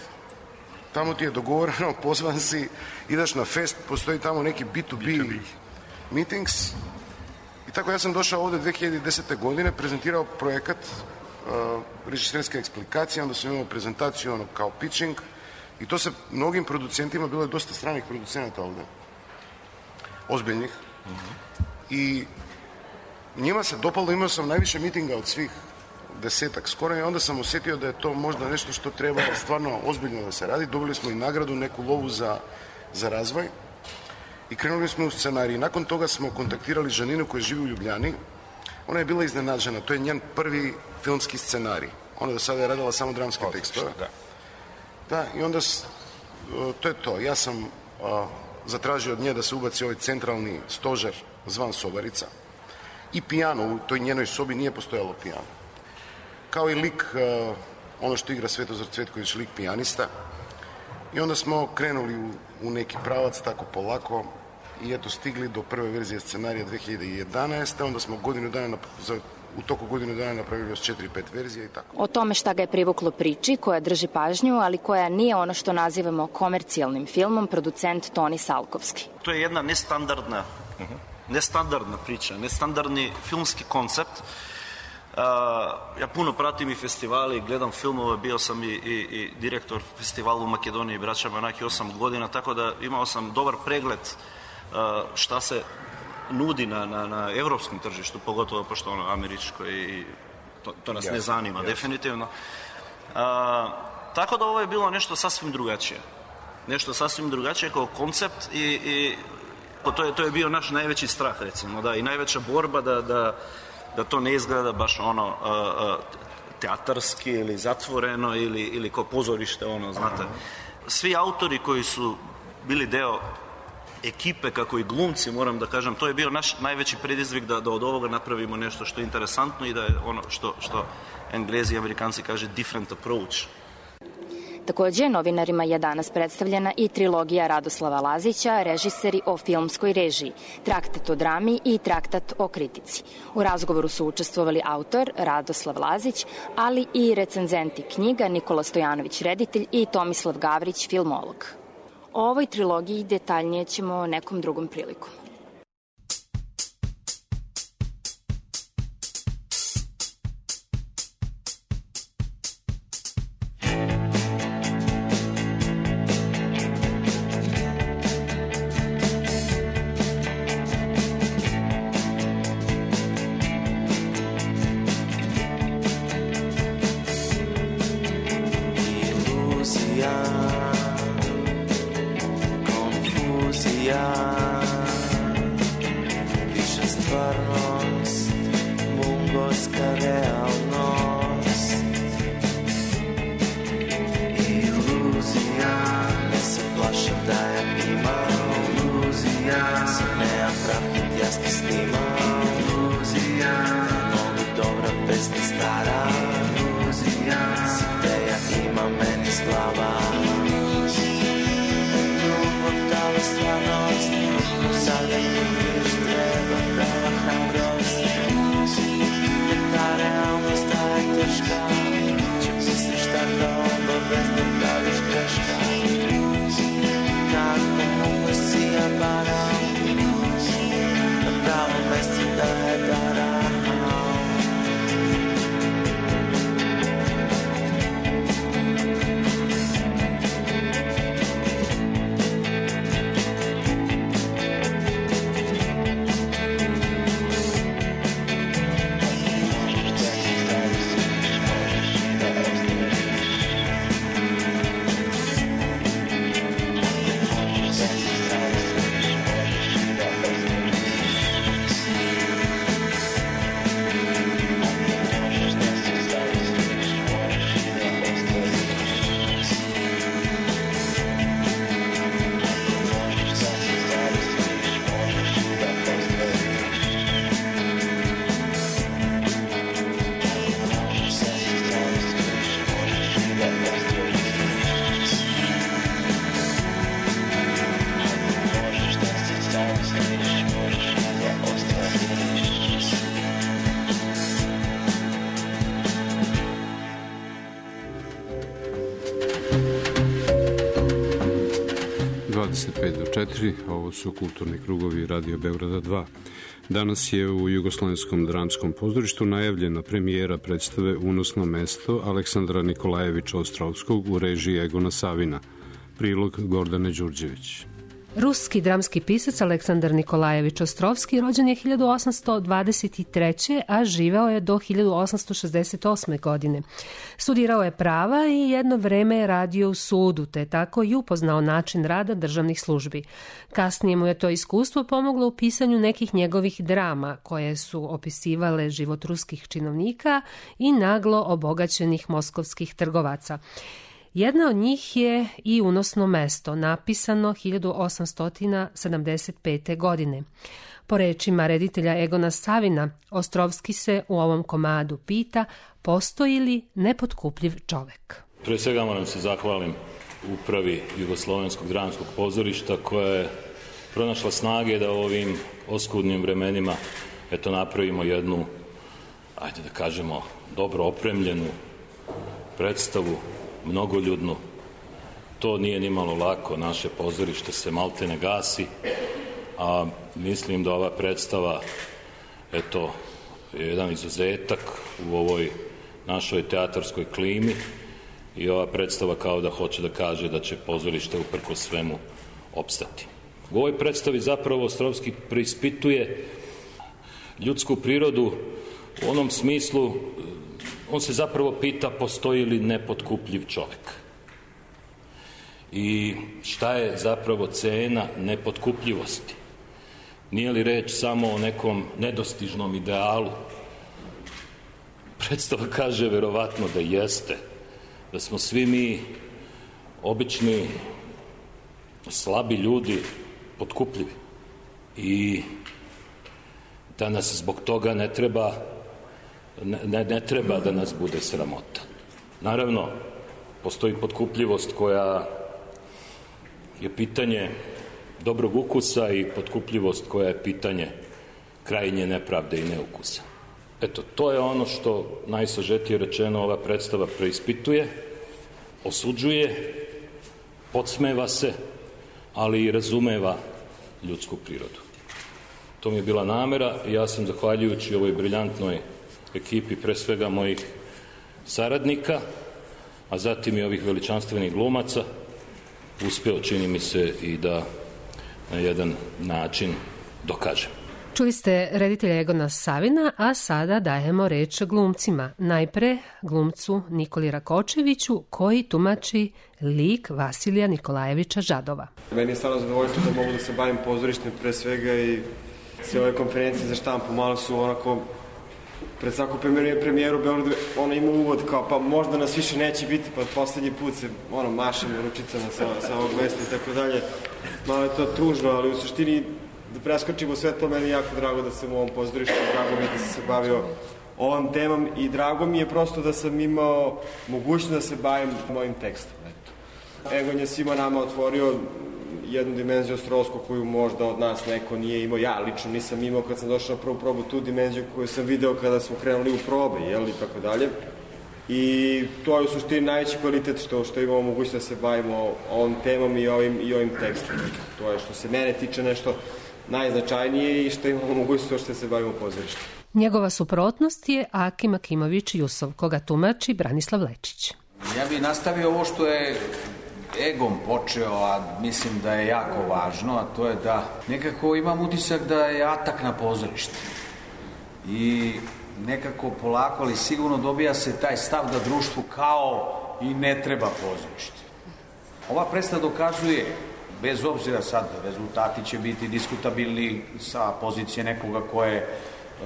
tamo ti je dogovoreno, pozvan si, ideš na fest, postoji tamo neki B to B meetings. I tako ja sam došao ovdje dvije hiljade desete. godine, prezentirao projekat uh, režiserske eksplikacije, onda sam imao prezentaciju ono, kao pitching i to se mnogim producentima, bilo je dosta stranih producenata ovdje, ozbiljnih. Mm-hmm. I njima se dopalo, imao sam najviše mitinga od svih desetak skoro i onda sam osjetio da je to možda nešto što treba stvarno ozbiljno da se radi. Dobili smo i nagradu, neku lovu za, za razvoj i krenuli smo u scenarij. Nakon toga smo kontaktirali Žaninu koja živi u Ljubljani. Ona je bila iznenađena, to je njen prvi filmski scenarij. Ona do sada je radila samo dramske tekstove. Da. Da, i onda to je to. Ja sam a, zatražio od nje da se ubaci ovaj centralni stožer zvan Sobarica. I pijano, u toj njenoj sobi nije postojalo pijano. Kao i lik, uh, ono što igra Svetozar Cvetković, lik pijanista. I onda smo krenuli u, u neki pravac, tako polako, i eto stigli do prve verzije scenarija dvije hiljade jedanaeste. Onda smo godinu dana, za, u toku godinu dana napravili još četiri pet verzija i tako. O tome šta ga je privuklo priči, koja drži pažnju, ali koja nije ono što nazivamo komercijalnim filmom, producent Toni Salkovski. To je jedna nestandardna uh-huh. nestandardna priča, nestandardni filmski koncept. Uh, ja puno pratim i festivali, gledam filmove, bio sam i, i, i direktor festivala u Makedoniji, Braća Banaki, osam godina, tako da imao sam dobar pregled uh, šta se nudi na, na, na evropskom tržištu, pogotovo pošto ono američko i to, to nas yes, ne zanima, yes. definitivno. Uh, tako da ovo je bilo nešto sasvim drugačije. Nešto sasvim drugačije kao koncept i, i To je, to je bio naš najveći strah, recimo, da, i najveća borba da, da, da to ne izgleda baš ono uh, uh, teatarski ili zatvoreno ili, ili kao pozorište, ono, znate. Svi autori koji su bili deo ekipe, kako i glumci, moram da kažem, to je bio naš najveći predizvik da, da od ovoga napravimo nešto što je interesantno i da je ono što, što Englezi i Amerikanci kaže different approach. Takođe, novinarima je danas predstavljena i trilogija Radoslava Lazića, režiseri o filmskoj režiji, traktat o drami i traktat o kritici. U razgovoru su učestvovali autor Radoslav Lazić, ali i recenzenti knjiga Nikola Stojanović, reditelj, i Tomislav Gavrić, filmolog. O ovoj trilogiji detaljnije ćemo nekom drugom prilikom. Ljubav, da li stvarnost dvadeset pet do četiri, ovo su kulturni krugovi Radio Beograda dva. Danas je u Jugoslovenskom dramskom pozorištu najavljena premijera predstave Unosno mesto Aleksandra Nikolajevića Ostrovskog u režiji Egona Savina. Prilog Gordane Đurđević. Ruski dramski pisac Aleksandar Nikolajević Ostrovski rođen je hiljadu osamsto dvadeset treće. a živeo je do hiljadu osamsto šezdeset osme. godine. Studirao je prava i jedno vreme je radio u sudu, te tako i upoznao način rada državnih službi. Kasnije mu je to iskustvo pomoglo u pisanju nekih njegovih drama, koje su opisivale život ruskih činovnika i naglo obogaćenih moskovskih trgovaca. Jedna od njih je i Unosno mesto, napisano hiljadu osamsto sedamdeset pete. godine. Po rečima reditelja Egona Savina, Ostrovski se u ovom komadu pita postoji li nepotkupljiv čovek. Pre svega moram se zahvalim upravi Jugoslovenskog dramskog pozorišta koja je pronašla snage da u ovim oskudnim vremenima eto napravimo jednu, ajde da kažemo, dobro opremljenu predstavu, mnogoljudnu. To nije ni malo lako, naše pozorište se maltene gasi, a mislim da ova predstava, eto, je jedan izuzetak u ovoj našoj teatarskoj klimi i ova predstava kao da hoće da kaže da će pozorište uprkos svemu opstati. U ovoj predstavi zapravo Ostrovski preispituje ljudsku prirodu u onom smislu. On se zapravo pita postoji li nepotkupljiv čovek. I šta je zapravo cena nepotkupljivosti? Nije li reč samo o nekom nedostižnom idealu? Predstava kaže verovatno da jeste, da smo svi mi obični slabi ljudi potkupljivi i da nas zbog toga ne treba Ne, ne treba da nas bude sramota. Naravno, postoji potkupljivost koja je pitanje dobrog ukusa i potkupljivost koja je pitanje krajnje nepravde i neukusa. Eto, to je ono što najsažetije rečeno ova predstava preispituje, osuđuje, podsmeva se, ali i razumeva ljudsku prirodu. To mi je bila namera i ja sam, zahvaljujući ovoj briljantnoj ekipi, pre svega mojih saradnika, a zatim i ovih veličanstvenih glumaca, uspeo, čini mi se, i da na jedan način dokažem. Čuli ste reditelja Egona Savina, a sada dajemo reč glumcima. Najpre glumcu Nikoli Rakočeviću, koji tumači lik Vasilija Nikolajevića Žadova. Meni je stvarno zadovoljstvo da mogu da se bavim pozorištem pre svega i sve ove konferencije za štampu malo su onako pred svaku premijeru u Beogradu, ona ima uvod kao pa možda nas više neće biti, pa poslednji put se ono, mašamo ručicama sa, sa ovog mesta i tako dalje. Malo je to tužno, ali u suštini da preskočimo sve to, meni je jako drago da sam u ovom pozorištu, drago mi je da sam se bavio ovom temom i drago mi je prosto da sam imao mogućnost da se bavim mojim tekstom. Eto. Egon je svima nama otvorio jednu dimenziju Ostrovskog koju možda od nas neko nije imao. Ja lično nisam imao kad sam došao na prvu probu tu dimenziju koju sam video kada smo krenuli u probe, jel, i tako dalje. I to je u suštini najveći kvalitet što, što imamo mogućnost da se bavimo ovom temom i ovim, i ovim tekstom. To je što se mene tiče nešto najznačajnije i što imamo mogućnost što se bavimo pozorištem. Njegova suprotnost je Akim Akimović Jusov, koga tumači Branislav Lečić. Ja bih nastavio ovo što je Egon počeo, a mislim da je jako važno, a to je da nekako imam utisak da je atak na pozorište. I nekako polako, ali sigurno dobija se taj stav da društvu kao i ne treba pozorište. Ova predstava dokazuje, bez obzira sad, rezultati će biti diskutabilni sa pozicije nekoga ko je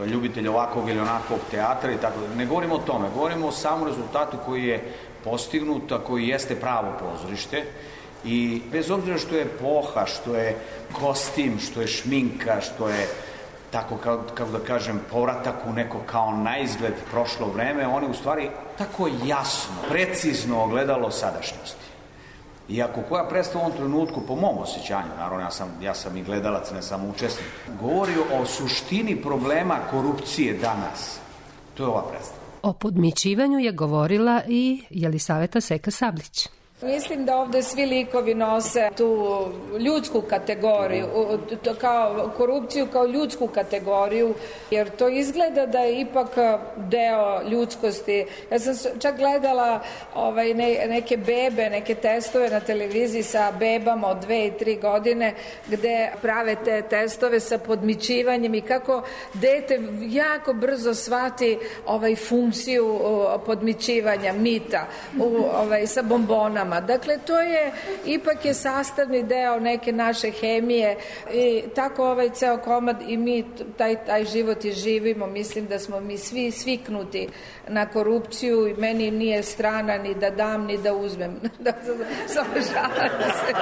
ljubitelj ovakvog ili onakvog teatra i tako da. Ne govorimo o tome, govorimo o samom rezultatu koji je postignut, a koji jeste pravo pozorište i bez obzira što je epoha, što je kostim, što je šminka, što je tako, kako da kažem, povratak u neko kao naizgled prošlo vreme, one u stvari tako jasno, precizno ogledalo sadašnjosti. I ako koja predstava u ovom trenutku, po mom osjećanju, naravno ja sam, ja sam i gledalac, ne samo učesnik, govori o suštini problema korupcije danas, to je ova predstava. O podmićivanju je govorila i Jelisaveta Seka Sablić. Mislim da ovde svi likovi nose tu ljudsku kategoriju, kao korupciju kao ljudsku kategoriju, jer to izgleda da je ipak deo ljudskosti. Ja sam čak gledala ovaj, ne, neke bebe, neke testove na televiziji sa bebama od dve i tri godine, gde prave te testove sa podmićivanjem i kako dete jako brzo shvati ovaj, funkciju podmićivanja, mita, u, ovaj, sa bombonama. Dakle, to je, ipak je sastavni deo neke naše hemije i tako ovaj ceo komad i mi taj, taj život i živimo. Mislim da smo mi svi sviknuti na korupciju i meni nije strana ni da dam, ni da uzmem. Da, samo šalim se.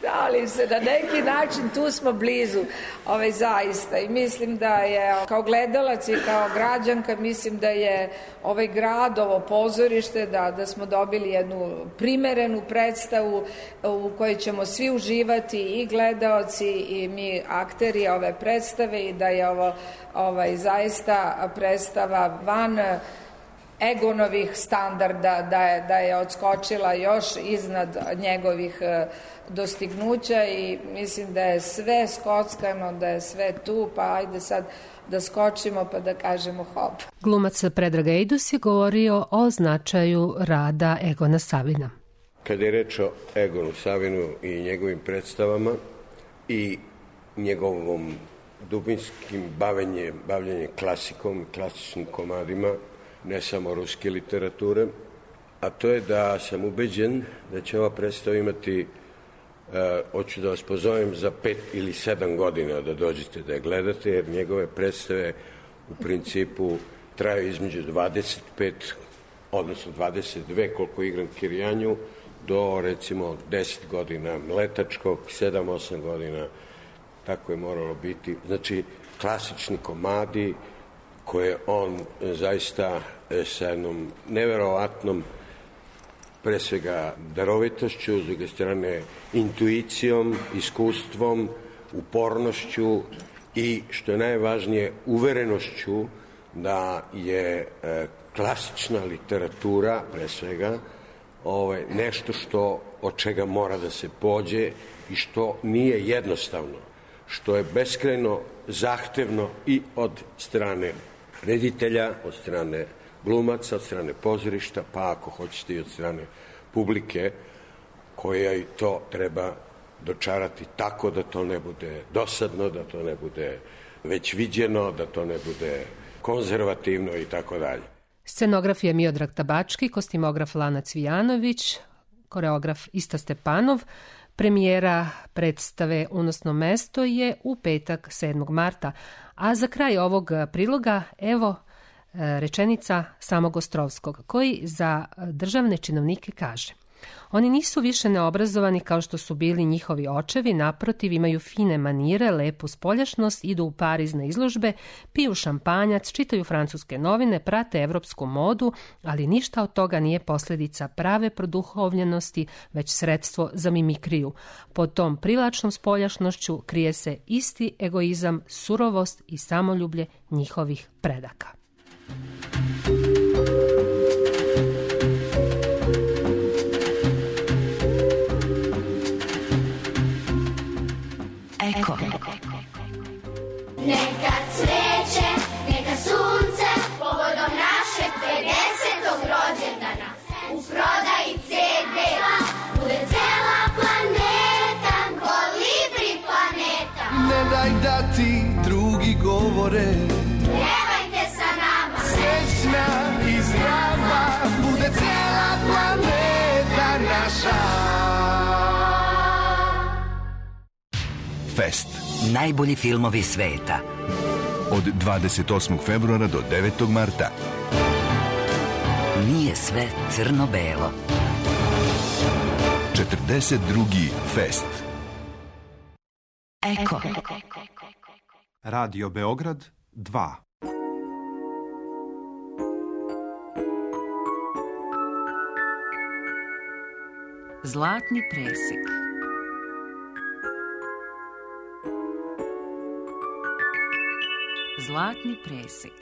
Šalim se, na neki način tu smo blizu, ovaj, zaista. I mislim da je, kao gledalac i kao građanka, mislim da je ovaj grad, ovo pozorište, da, da smo dobili jednu primerenu predstavu u kojoj ćemo svi uživati, i gledaoci i mi akteri ove predstave, i da je ovo ovaj, zaista predstava van Egonovih standarda, da je, da je odskočila još iznad njegovih dostignuća i mislim da je sve skockano, da je sve tu, pa ajde sad da skočimo pa da kažemo hop. Glumac Predrag Ejdus je govorio o značaju rada Egona Savina. Kada je reč o Egonu Savinu i njegovim predstavama i njegovom dubinskim bavljenjem, bavljenjem klasikom, klasičnim komadima, ne samo ruske literature, a to je da sam ubeđen da će ova predstava imati, uh, hoću da vas pozovem za pet ili sedam godina da dođete da je gledate, jer njegove predstave u principu traju između dvadeset pet, odnosno dvadeset dve koliko igram Kirjanju, do recimo deset godina Mletačkog, sedam osam godina, tako je moralo biti. Znači, klasični komadi koje on zaista sa jednom neverovatnom, pre svega darovitošću, s druge strane intuicijom, iskustvom, upornošću i, što je najvažnije, uverenošću da je e, klasična literatura, pre svega, ovaj, nešto što, od čega mora da se pođe i što nije jednostavno, što je beskrajno zahtevno i od strane reditelja, od strane glumaca, od strane pozorišta, pa ako hoćete i od strane publike, koja i to treba dočarati tako da to ne bude dosadno, da to ne bude već viđeno, da to ne bude konzervativno i tako dalje. Scenograf je Miodrag Tabački, kostimograf Lana Cvijanović, koreograf Ista Stepanov. Premijera predstave Unosno mesto je u petak sedmog marta, a za kraj ovog priloga evo rečenica samog Ostrovskog, koji za državne činovnike kaže: oni nisu više neobrazovani kao što su bili njihovi očevi, naprotiv, imaju fine manire, lepu spoljašnost, idu u Pariz na izložbe, piju šampanjac, čitaju francuske novine, prate evropsku modu, ali ništa od toga nije posljedica prave produhovljenosti, već sredstvo za mimikriju. Pod tom privlačnom spoljašnošću krije se isti egoizam, surovost i samoljublje njihovih predaka. Eko. Neka cveće, neka sunce, povodom našeg pedesetog rođendana, u prodaji ce de, bude cela planeta, kolibri planeta. Ne daj da ti drugi govore, pjevajte sa nama, srećna i zdrava, bude cela planeta naša. Fest. Najbolji filmovi sveta. Od dvadeset osmog februara do devetog marta. Nije sve crno-belo. četrdeset drugi Fest. Eko. Radio Beograd dva. Zlatni presek. Zlatni presek.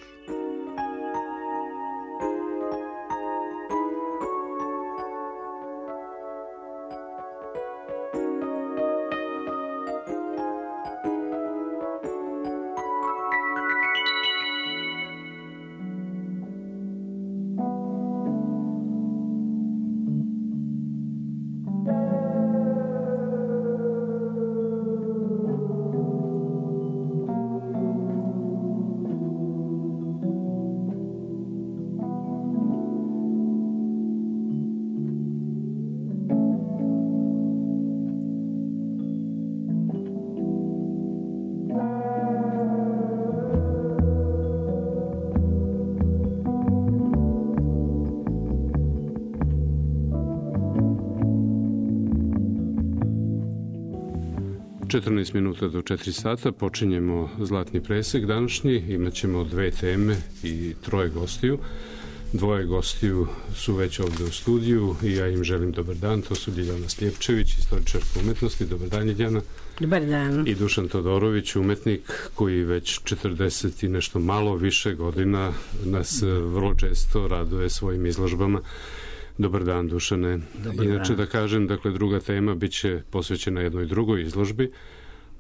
četrnaest minuta do četiri sata počinjemo Zlatni presek današnji. Imaćemo dve teme i troje gostiju. Dvoje gostiju su već ovde u studiju i ja im želim dobar dan. To su Ljiljana Sljepčević, istoričarka umetnosti. Dobar dan, Ljiljana. Dobar dan. I Dušan Todorović, umetnik koji već četrdeset i nešto malo više godina nas vrlo često raduje svojim izložbama. Dobar dan, Dušane. Dobar Inače dan. Da kažem, dakle, druga tema biće posvećena jednoj drugoj izložbi.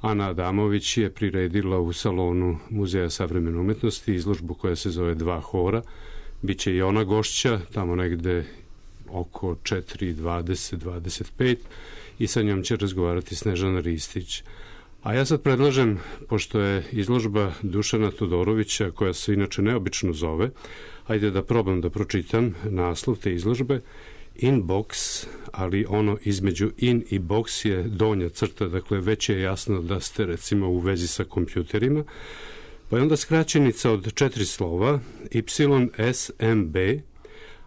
Ana Adamović je priredila u salonu Muzeja savremene umetnosti izložbu koja se zove Dva hora. Biće i ona gošća, tamo negde oko četiri dvadeset dvadeset pet i sa njom će razgovarati Snežana Ristić. A ja sad predlažem, pošto je izložba Dušana Todorovića, koja se inače neobično zove, ajde da probam da pročitam naslov te izložbe, Inbox, ali ono između in i box je donja crta, dakle već je jasno da ste recimo u vezi sa kompjuterima. Pa je onda skraćenica od četiri slova, Y S M B,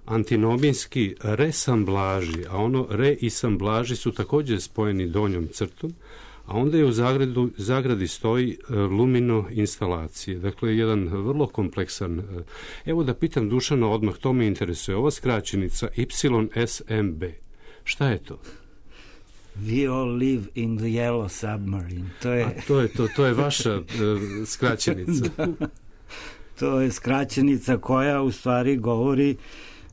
antinomijski resamblaži, a ono re i samblaži su takođe spojeni donjom crtom, a onda je u zagradu, zagradi stoji lumino instalacije. Dakle, jedan vrlo kompleksan. Evo da pitam Dušana odmah, to me interesuje. Ova skraćenica Y S M B, šta je to? We all live in the yellow submarine. To je, a to je, to, to je vaša uh, skraćenica. Da. To je skraćenica koja u stvari govori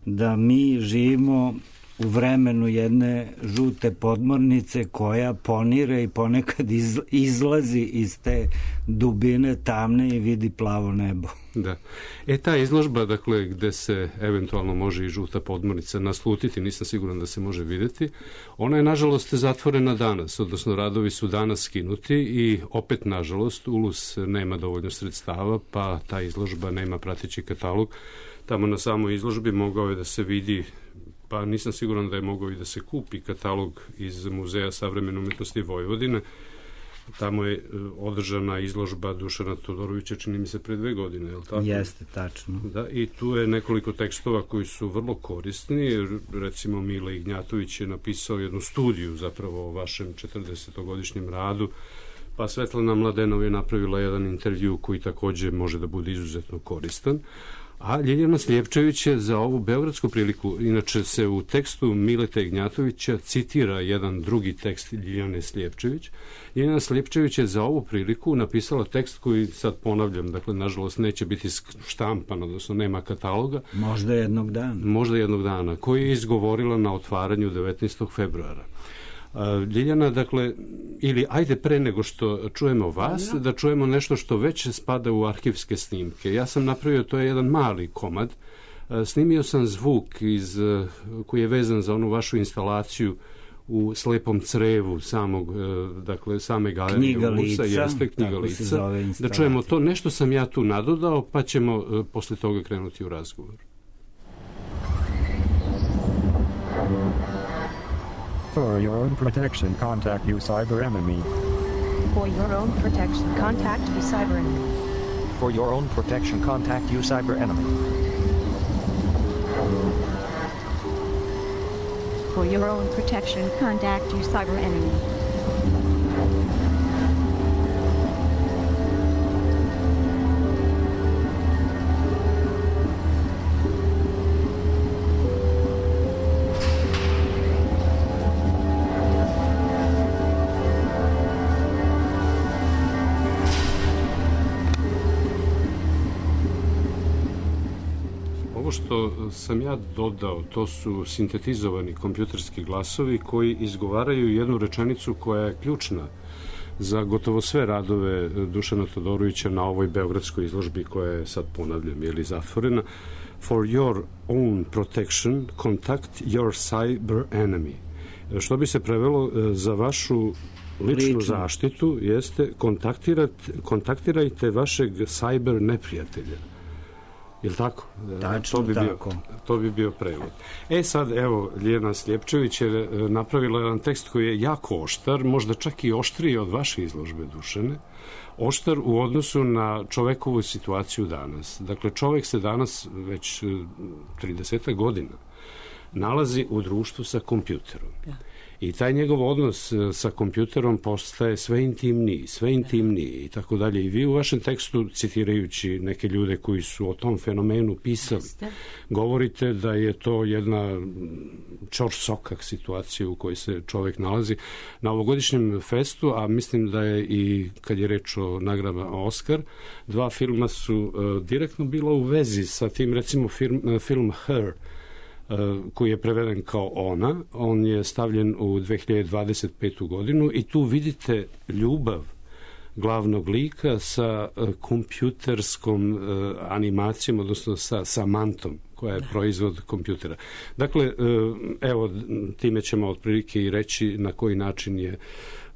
da mi živimo u vremenu jedne žute podmornice koja ponire i ponekad izlazi iz te dubine tamne i vidi plavo nebo. Da. E, ta izložba, dakle, gde se eventualno može i žuta podmornica naslutiti, nisam siguran da se može videti, ona je, nažalost, zatvorena danas, odnosno radovi su danas skinuti i opet, nažalost, U L U S nema dovoljno sredstava, pa ta izložba nema prateći katalog. Tamo na samoj izložbi mogao je da se vidi, pa nisam siguran da je mogao i da se kupi katalog iz Muzeja savremene umetnosti Vojvodine. Tamo je održana izložba Dušana Todorovića, čini mi se, pre dve godine, je li tako? Jeste, tačno. Da, i tu je nekoliko tekstova koji su vrlo korisni. Recimo, Mile Ignjatović je napisao jednu studiju zapravo o vašem četrdesetogodišnjem radu, pa Svetlana Mladenov je napravila jedan intervju koji takođe može da bude izuzetno koristan. A Ljiljana Sljepčević je za ovu beogradsku priliku, inače se u tekstu Mileta Ignjatovića citira jedan drugi tekst Ljiljane Sljepčević. Ljiljana Sljepčević je za ovu priliku napisala tekst koji sad ponavljam, dakle, nažalost, neće biti štampan, odnosno nema kataloga. Možda jednog dana. Možda jednog dana, koji je izgovorila na otvaranju devetnaestog februara. Ljiljana, dakle, ili ajde pre nego što čujemo vas, da čujemo nešto što već spada u arhivske snimke. Ja sam napravio, to je jedan mali komad, snimio sam zvuk iz, koji je vezan za onu vašu instalaciju u Slepom crevu samog, dakle, same galerije Knjiga U L U S-a, lica, jeste Knjiga tako lica, se zove instalacija. Da čujemo to, nešto sam ja tu nadodao, pa ćemo posle toga krenuti u razgovor. For your own protection, contact your cyber enemy. For your own protection, contact your cyber enemy. For your own protection, contact your cyber enemy. For your own protection, contact your cyber enemy. Ovo što sam ja dodao, to su sintetizovani kompjuterski glasovi koji izgovaraju jednu rečenicu koja je ključna za gotovo sve radove Dušana Todorovića na ovoj beogradskoj izložbi koja je sad, ponavljam, je li zatvorena. For your own protection, contact your cyber enemy. Što bi se prevelo za vašu ličnu Lično. zaštitu, jeste kontaktirajte vašeg cyber neprijatelja. Je li tako? Tačno, to bi tako. Bio, to bi bio prevod. E sad, evo, Ljiljana Sljepčević je napravila jedan tekst koji je jako oštar, možda čak i oštriji od vaše izložbe, Dušane. Oštar u odnosu na čovekovu situaciju danas. Dakle, čovek se danas već trideset godina nalazi u društvu sa kompjuterom. Ja. I taj njegov odnos sa kompjuterom postaje sve intimniji, sve intimniji i tako dalje. I vi u vašem tekstu, citirajući neke ljude koji su o tom fenomenu pisali, govorite da je to jedna čor sokak situacija u kojoj se čovek nalazi. Na ovogodišnjem festu, a mislim da je i kad je reč o nagradama Oscar, dva filma su uh, direktno bila u vezi sa tim, recimo film, uh, film Her, koji je preveden kao Ona. On je stavljen u dve hiljade dvadeset petu godinu i tu vidite ljubav glavnog lika sa kompjuterskom animacijom, odnosno sa Samantom, koja je proizvod kompjutera. Dakle, evo, time ćemo otprilike i reći na koji način je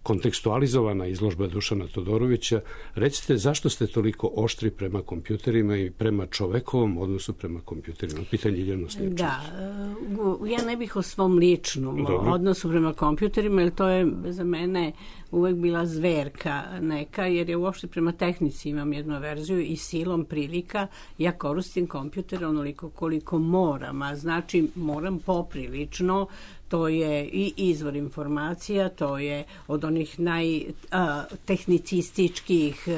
kontekstualizovana izložba Dušana Todorovića. Recite, zašto ste toliko oštri prema kompjuterima i prema čovekovom odnosu prema kompjuterima? Pitanje Ljiljana Slijepčević. Da, ja ne bih o svom ličnom Dobro. odnosu prema kompjuterima, jer to je za mene uvek bila zverka neka, jer je uopšte prema tehnici imam jednu verziju i silom prilika ja koristim kompjuter onoliko koliko moram, a znači moram poprilično. To je i izvor informacija, to je od onih najtehnicističkih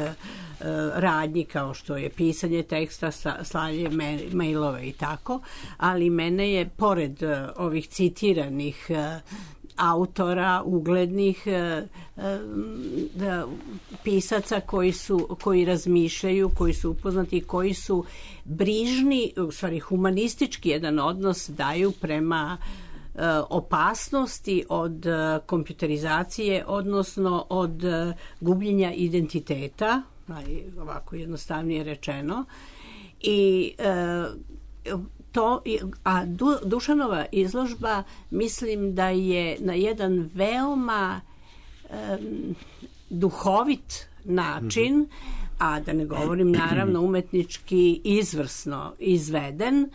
radnji kao što je pisanje teksta, slanje mailove i tako, ali mene je pored ovih citiranih autora, uglednih pisaca koji su, koji razmišljaju, koji su upoznati, koji su brižni, u stvari humanistički jedan odnos daju prema opasnosti od kompjuterizacije, odnosno od gubljenja identiteta, ovako jednostavnije rečeno. I to, a Dušanova izložba mislim da je na jedan veoma um, duhovit način, a da ne govorim naravno umetnički izvrsno izveden,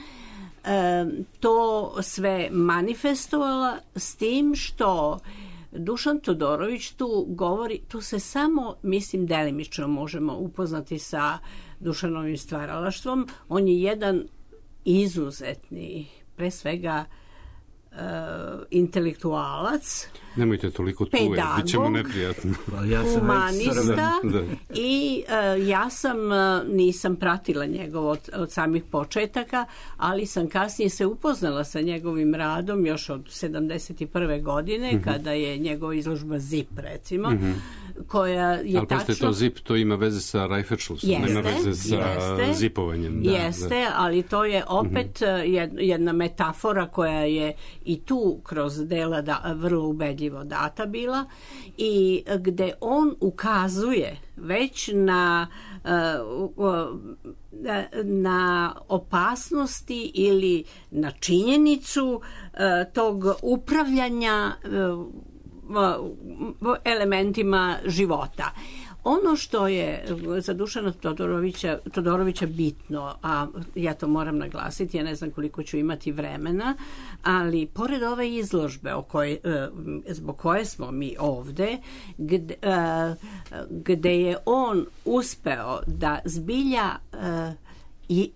to sve manifestovala s tim što Dušan Todorović tu govori, tu se samo, mislim, delimično možemo upoznati sa Dušanovim stvaralaštvom. On je jedan izuzetni, pre svega, uh, intelektualac, nemojte toliko tu, bit ćemo neprijatno. Ja humanista da, da. I uh, ja sam, uh, nisam pratila njegov od, od samih početaka, ali sam kasnije se upoznala sa njegovim radom još od sedamdeset prve godine, mm-hmm. kada je njegova izložba Zip, recimo, mm-hmm. koja je ali tačno... Ali to Zip, to ima veze sa Reifertschlussom, nema veze sa jeste, zipovanjem. Da, jeste, da. Ali to je opet mm-hmm. jedna metafora koja je i tu kroz dela da, vrlo ubedljiva data bila i gde on ukazuje već na na opasnosti ili na činjenicu tog upravljanja elementima života. Ono što je za Dušana Todorovića, Todorovića bitno, a ja to moram naglasiti, ja ne znam koliko ću imati vremena, ali pored ove izložbe o kojoj, zbog koje smo mi ovde, gde, gde je on uspeo da zbilja i,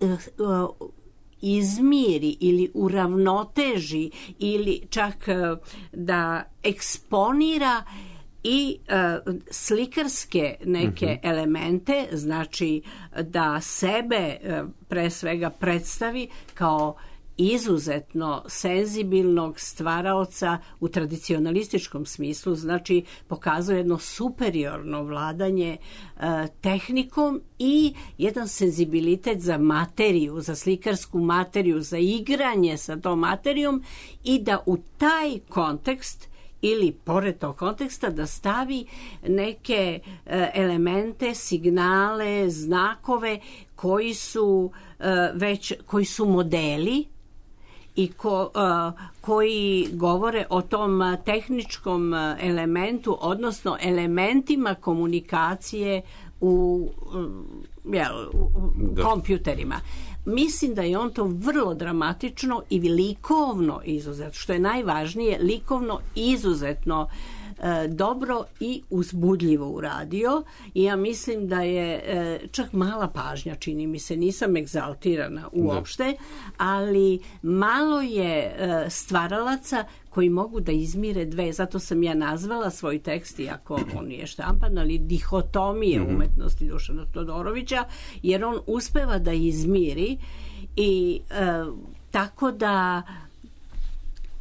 izmiri ili uravnoteži ili čak da eksponira i uh, slikarske neke uh-huh. elemente, znači da sebe uh, pre svega predstavi kao izuzetno senzibilnog stvaraoca u tradicionalističkom smislu, znači pokazuje jedno superiorno vladanje uh, tehnikom i jedan senzibilitet za materiju, za slikarsku materiju, za igranje sa tom materijom i da u taj kontekst ili pored tog konteksta da stavi neke e, elemente, signale, znakove koji su e, već koji su modeli i ko, e, koji govore o tom tehničkom elementu, odnosno elementima komunikacije u, jel, u kompjuterima. Mislim da je on to vrlo dramatično i likovno izuzetno, što je najvažnije, likovno izuzetno uh, dobro i uzbudljivo uradio i ja mislim da je čak mala pažnja, čini mi se, nisam egzaltirana uopšte, ali malo je stvaralaca koji mogu da izmire dve, zato sam ja nazvala svoj tekst, iako on nije štampan, ali dihotomije mm-hmm. umetnosti Dušana Todorovića, jer on uspeva da izmiri i e, tako da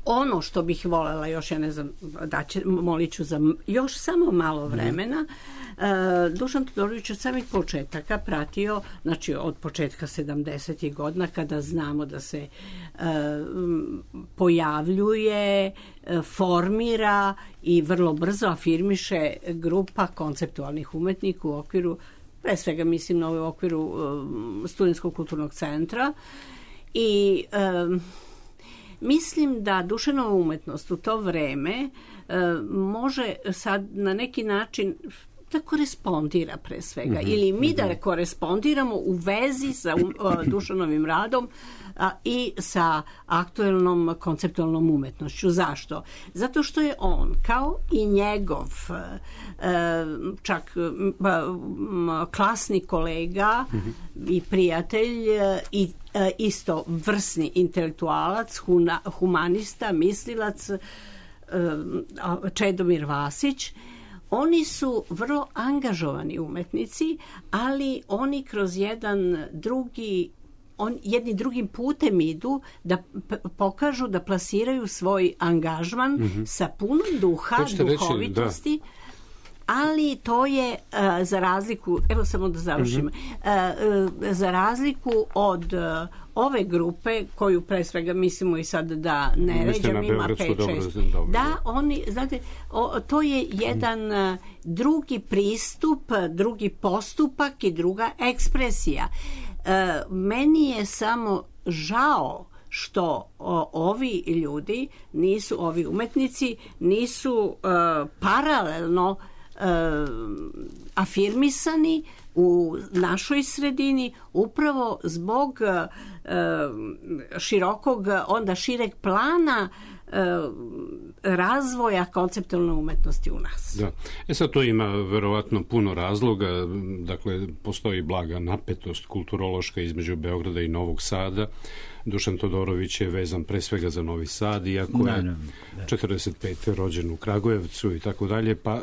ono što bih voljela, još ja ne znam, da će, molit ću za još samo malo vremena, uh, Dušan Todorović od samih početaka pratio, znači od početka sedamdesetih godina, kada znamo da se uh, pojavljuje, uh, formira i vrlo brzo afirmiše grupa konceptualnih umetnika u okviru, pre svega mislim na u okviru uh, Studentskog kulturnog centra i uh, mislim da Dušanova umetnost u to vreme e, može sad na neki način da korespondira pre svega mm-hmm. ili mi da korespondiramo u vezi sa um, Dušanovim radom a, i sa aktuelnom konceptualnom umetnošću. Zašto? Zato što je on kao i njegov e, čak m, m, klasni kolega mm-hmm. i prijatelj i isto vrsni intelektualac, huna, humanista, mislilac Čedomir Vasić. Oni su vrlo angažovani umetnici, ali oni kroz jedan drugi on, jedni drugim putem idu da p- pokažu da plasiraju svoj angažman mm-hmm. sa puno duha, duhovitosti. Reći, da. Ali to je uh, za razliku, evo samo da završim, mm-hmm. uh, uh, za razliku od uh, ove grupe, koju pre svega mislimo i sad da ne ređam, ima pet šest. Da, oni, znate, o, to je jedan uh, drugi pristup, drugi postupak i druga ekspresija. Uh, meni je samo žao što o, ovi ljudi nisu, ovi umetnici nisu uh, paralelno Uh, afirmisani u našoj sredini upravo zbog uh, širokog, onda šireg plana uh, razvoja konceptualne umetnosti u nas. Da. E sad to ima verovatno puno razloga, dakle postoji blaga napetost kulturološka između Beograda i Novog Sada. Dušan Todorović je vezan pre svega za Novi Sad, iako je da, da. četrdeset pete rođen u Kragujevcu i tako dalje, pa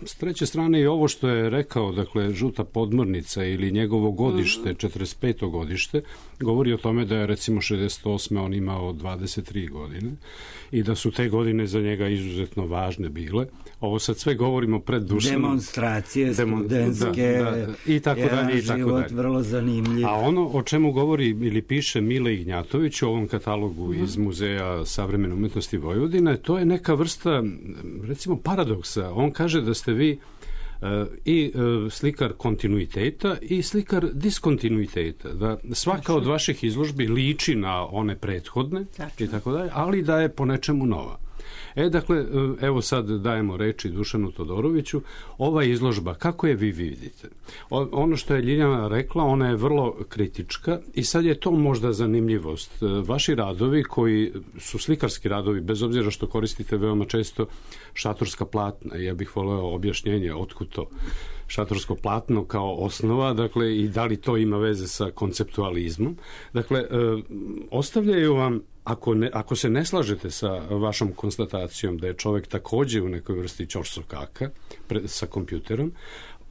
s treće strane i ovo što je rekao, dakle žuta podmornica ili njegovo godište, četrdeset peto godište, govori o tome da je recimo šezdeset osme on imao dvadeset tri godine i da su te godine za njega izuzetno važne bile. Ovo sad sve govorimo pred Dušanom. Demonstracije, Demon, studentske, da, da, i tako dalje, i tako život dalje. Vrlo zanimljiv. A ono o čemu govori ili piše Mile Ignjatović u ovom katalogu mm-hmm. iz Muzeja savremene umetnosti Vojvodine, to je neka vrsta, recimo, paradoksa. On kaže da ste vi uh, i uh, slikar kontinuiteta i slikar diskontinuiteta. Da svaka Tačno. Od vaših izložbi liči na one prethodne Tačno. I tako dalje, ali da je po nečemu nova. E, dakle, evo sad dajemo reči Dušanu Todoroviću. Ova izložba, kako je vi vidite? O, ono što je Ljiljana rekla, ona je vrlo kritička i sad je to možda zanimljivost. Vaši radovi, koji su slikarski radovi, bez obzira što koristite veoma često šatorska platna, ja bih voleo objašnjenje otkud to šatorsko platno kao osnova, dakle, i da li to ima veze sa konceptualizmom. Dakle, e, ostavljaju vam, ako, ne, ako se ne slažete sa vašom konstatacijom da je čovek takođe u nekoj vrsti ćorsokaka pre, sa kompjuterom,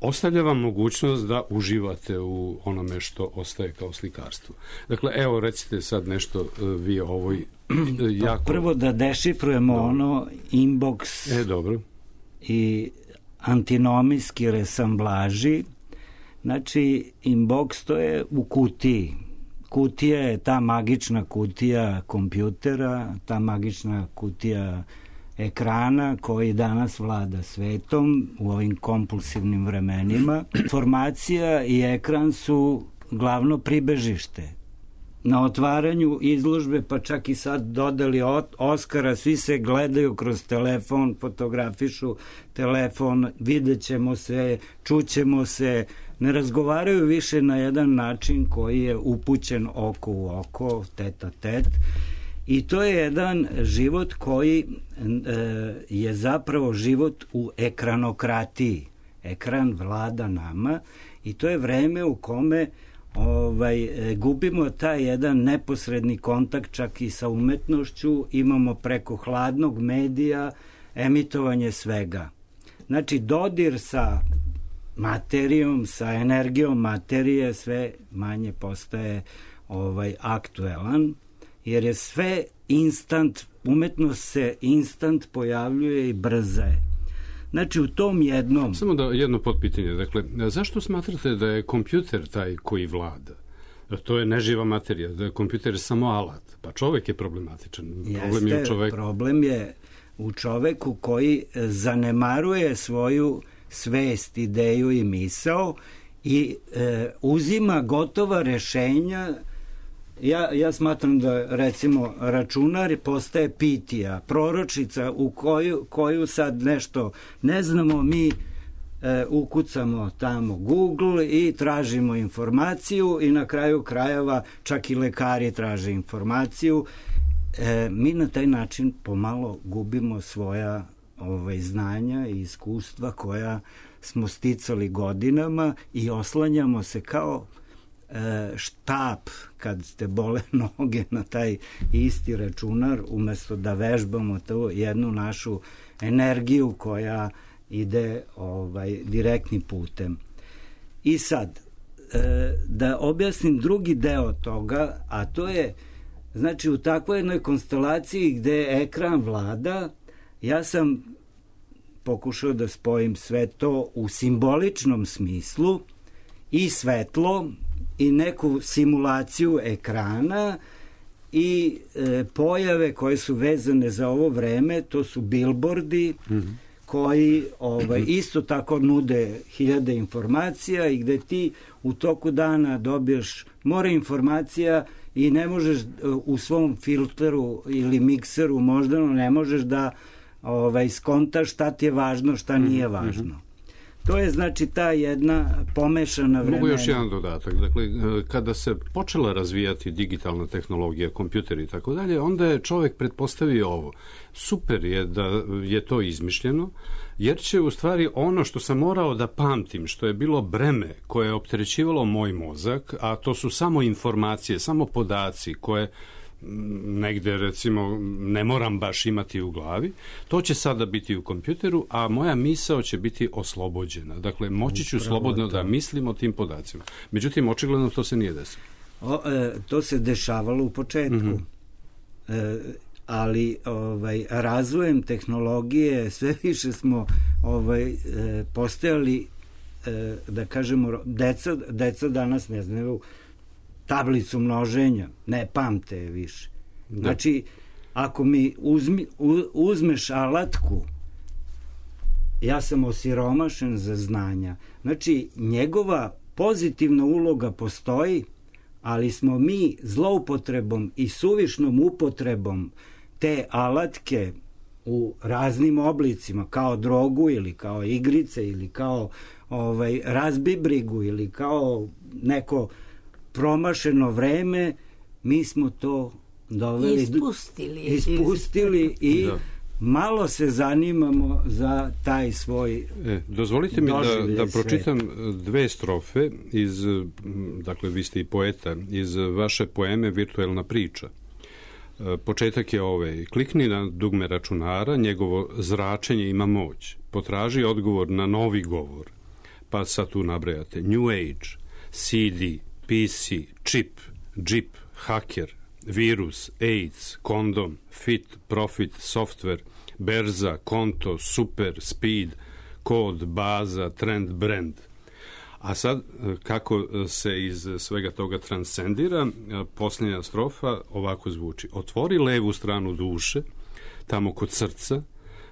ostavlja vam mogućnost da uživate u onome što ostaje kao slikarstvo. Dakle, evo, recite sad nešto vi o ovoj jako... Pa prvo da dešifrujemo dobro. Ono inbox e, dobro. I antinomijski resamblaži. Znači, inbox to je u kutiji. Kutija je ta magična kutija kompjutera, ta magična kutija ekrana koji danas vlada svetom u ovim kompulsivnim vremenima. Informacija i ekran su glavno pribežište. Na otvaranju izložbe, pa čak i sad dodali Oskara, svi se gledaju kroz telefon, fotografišu telefon, vidjet ćemo se, čućemo se, ne razgovaraju više na jedan način koji je upućen oko u oko, tet a tet. I to je jedan život koji e, je zapravo život u ekranokratiji. Ekran vlada nama i to je vreme u kome ovaj, gubimo taj jedan neposredni kontakt čak i sa umetnošću, imamo preko hladnog medija emitovanje svega. Znači, dodir sa materijom, sa energijom materije sve manje postaje ovaj, aktuelan, jer je sve instant, umetnost se instant pojavljuje i brza je. Znači, u tom jednom... Samo da jedno potpitanje. Dakle, zašto smatrate da je kompjuter taj koji vlada? To je neživa materija, da je kompjuter samo alat. Pa čovek je problematičan. Problem Jeste, je u čoveku. Problem je u čoveku koji zanemaruje svoju svest, ideju i misao i e, uzima gotova rešenja. Ja, ja smatram da, recimo, računar postaje pitija, proročica u koju, koju sad nešto ne znamo, mi e, ukucamo tamo Google i tražimo informaciju i na kraju krajeva čak i lekari traže informaciju. E, mi na taj način pomalo gubimo svoja ovaj, znanja i iskustva koja smo sticali godinama i oslanjamo se kao štap kad ste bole noge na taj isti računar, umesto da vežbamo tu jednu našu energiju koja ide ovaj, direktnim putem. I sad, da objasnim drugi deo toga, a to je, znači, u takvoj jednoj konstelaciji gde ekran vlada, ja sam pokušao da spojim sve to u simboličnom smislu i svetlo i neku simulaciju ekrana i e, pojave koje su vezane za ovo vreme, to su bilbordi mm-hmm. koji ovaj, isto tako nude hiljade informacija i gde ti u toku dana dobiješ more informacija i ne možeš u svom filteru ili mikseru možda ne možeš da ovaj, skontaš šta ti je važno, šta nije važno. Mm-hmm. To je, znači, ta jedna pomešana vremena. Mogu još jedan dodatak. Dakle, kada se počela razvijati digitalna tehnologija, kompjuter i tako dalje, onda je čovjek pretpostavio ovo. Super je da je to izmišljeno, jer će u stvari ono što sam morao da pamtim, što je bilo breme koje je opterećivalo moj mozak, a to su samo informacije, samo podaci koje negde, recimo, ne moram baš imati u glavi, to će sada biti u kompjuteru, a moja misao će biti oslobođena. Dakle, moći ću slobodno da mislim o tim podacima. Međutim, očigledno to se nije desilo. O, e, to se dešavalo u početku. Mm-hmm. E, ali ovaj, razvojem tehnologije sve više smo ovaj, e, postajali, e, da kažemo, deca, deca danas ne znaju tablicu množenja, ne pamte je više. Da. Znači, ako mi uzmi, uzmeš alatku, ja sam osiromašen za znanja. Znači, njegova pozitivna uloga postoji, ali smo mi zloupotrebom i suvišnom upotrebom te alatke u raznim oblicima, kao drogu ili kao igrice ili kao ovaj, razbibrigu ili kao neko promašeno vreme, mi smo to doveli, ispustili, ispustili i da. Malo se zanimamo za taj svoj e, dozvolite mi da, da pročitam dve strofe iz, dakle, vi ste i poeta, iz vaše poeme Virtuelna priča. Početak je ovaj: klikni na dugme računara, njegovo zračenje ima moć, potraži odgovor na novi govor, pa sad tu nabrajate New Age, C D, P C, čip, džip, haker, virus, AIDS, kondom, fit, profit, software, berza, konto, super, speed, kod, baza, trend, brand. A sad, kako se iz svega toga transcendira, posljednja strofa ovako zvuči: otvori levu stranu duše, tamo kod srca,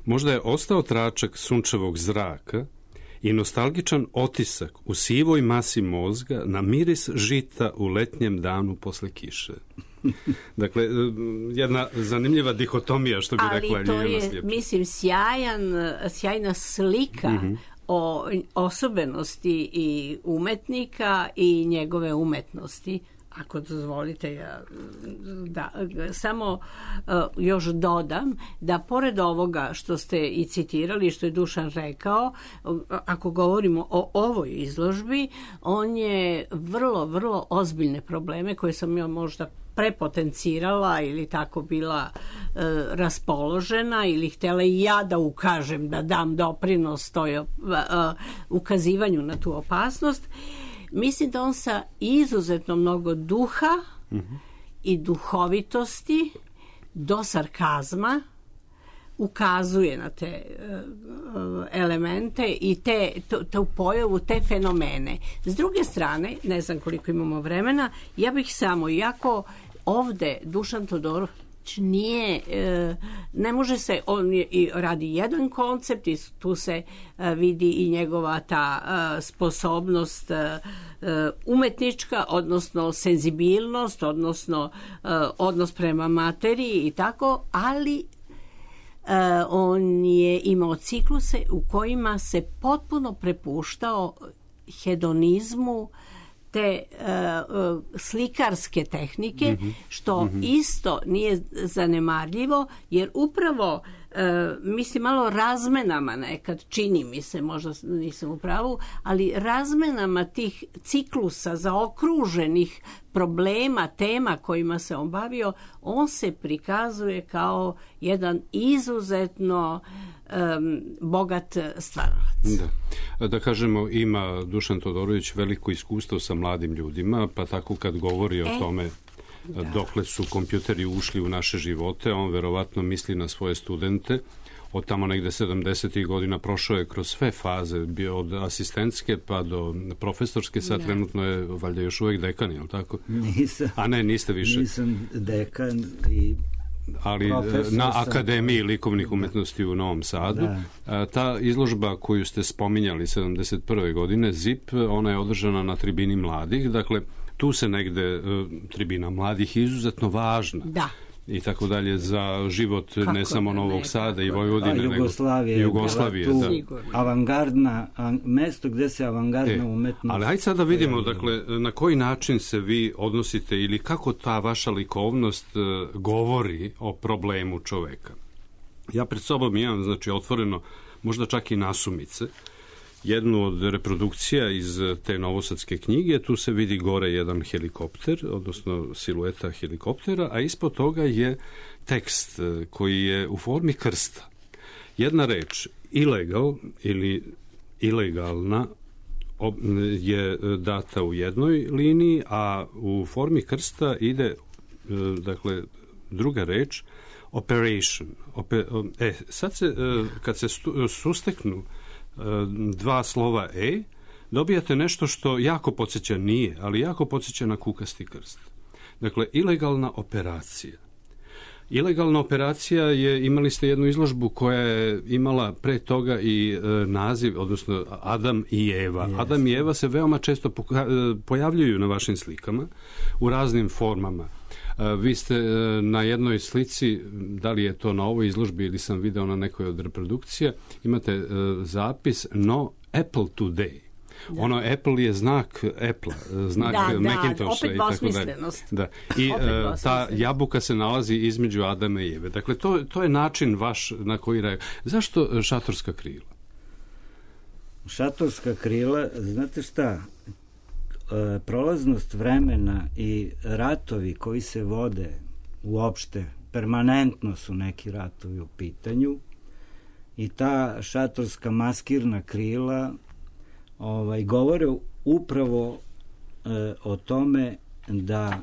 možda je ostao tračak sunčevog zraka i nostalgičan otisak u sivoj masi mozga na miris žita u letnjem danu posle kiše. Dakle, jedna zanimljiva dihotomija, što bi ali rekla Ljiljana Sljepčević. Ali to je, mislim, sjajan, sjajna slika mm-hmm. o osobenosti i umetnika i njegove umetnosti, ako dozvolite ja, da samo još dodam da pored ovoga što ste i citirali, što je Dušan rekao, ako govorimo o ovoj izložbi, on je vrlo, vrlo ozbiljne probleme koje sam ja možda prepotencirala ili tako bila e, raspoložena ili htjela i ja da ukažem, da dam doprinos toj e, ukazivanju na tu opasnost. Mislim da on sa izuzetno mnogo duha mm-hmm. i duhovitosti do sarkazma ukazuje na te uh, elemente i te, tu, tu pojavu, te fenomene. S druge strane, ne znam koliko imamo vremena, ja bih samo, iako ovde Dušan Todorović nije, ne može se, on je, i radi jedan koncept i tu se vidi i njegova ta sposobnost umetnička, odnosno senzibilnost, odnosno odnos prema materiji i tako, ali on je imao cikluse u kojima se potpuno prepuštao hedonizmu, te uh, slikarske tehnike, mm-hmm. što mm-hmm. isto nije zanemarljivo, jer upravo uh, mislim malo razmenama nekad, čini mi se, možda nisam u pravu, ali razmenama tih ciklusa zaokruženih problema, tema kojima se on bavio, on se prikazuje kao jedan izuzetno um, bogat stvaralac. Da. Da kažemo, ima Dušan Todorović veliko iskustvo sa mladim ljudima, pa tako kad govori o e, tome da. dokle su kompjuteri ušli u naše živote, on verovatno misli na svoje studente. Od tamo negde sedamdesetih godina prošao je kroz sve faze, bio od asistentske pa do profesorske, sad da. trenutno je valjda još uvek dekan, je li tako? Nisam. A ne, niste više. Nisam dekan i ali na Akademiji likovnih umetnosti u Novom Sadu. Da. Ta izložba koju ste spominjali sedamdeset prve godine, Z I P, ona je održana na tribini mladih, dakle tu se negde tribina mladih je izuzetno važna. Da. I tako dalje za život kako ne samo Novog ne, Sada i Vojvodine, nego Jugoslavije, Jugoslavije da. avangardna, mesto gde se avangardna e, umetnost. Ali hajde sad da vidimo, dakle, na koji način se vi odnosite ili kako ta vaša likovnost uh, govori o problemu čoveka. Ja pred sobom imam, znači, otvoreno, možda čak i nasumice, jednu od reprodukcija iz te novosadske knjige. Tu se vidi gore jedan helikopter, odnosno silueta helikoptera, a ispod toga je tekst koji je u formi krsta. Jedna reč, illegal ili ilegalna, je data u jednoj liniji, a u formi krsta ide, dakle, druga reč, operation. Ope, e, sad se, kad se susteknu dva slova E, dobijate nešto što jako podsjeća, nije, ali jako podsjeća na kukasti krst. Dakle, ilegalna operacija. Ilegalna operacija je, imali ste jednu izložbu koja je imala pre toga i e, naziv, odnosno Adam i Eva. Yes. Adam i Eva se veoma često poka- pojavljuju na vašim slikama u raznim formama. E, vi ste e, na jednoj slici, da li je to na ovoj izložbi ili sam video na nekoj od reprodukcija, imate e, zapis No Apple Today. Da. Ono, Apple je znak Apple, znak da, Macintosha da, i tako dalje. Da. I uh, ta jabuka se nalazi između Adama i Eve. Dakle, to, to je način vaš na koji raju. Zašto šatorska krila? Šatorska krila, znate šta, e, prolaznost vremena i ratovi koji se vode uopšte, permanentno su neki ratovi u pitanju i ta šatorska maskirna krila ovaj, govore upravo e, o tome da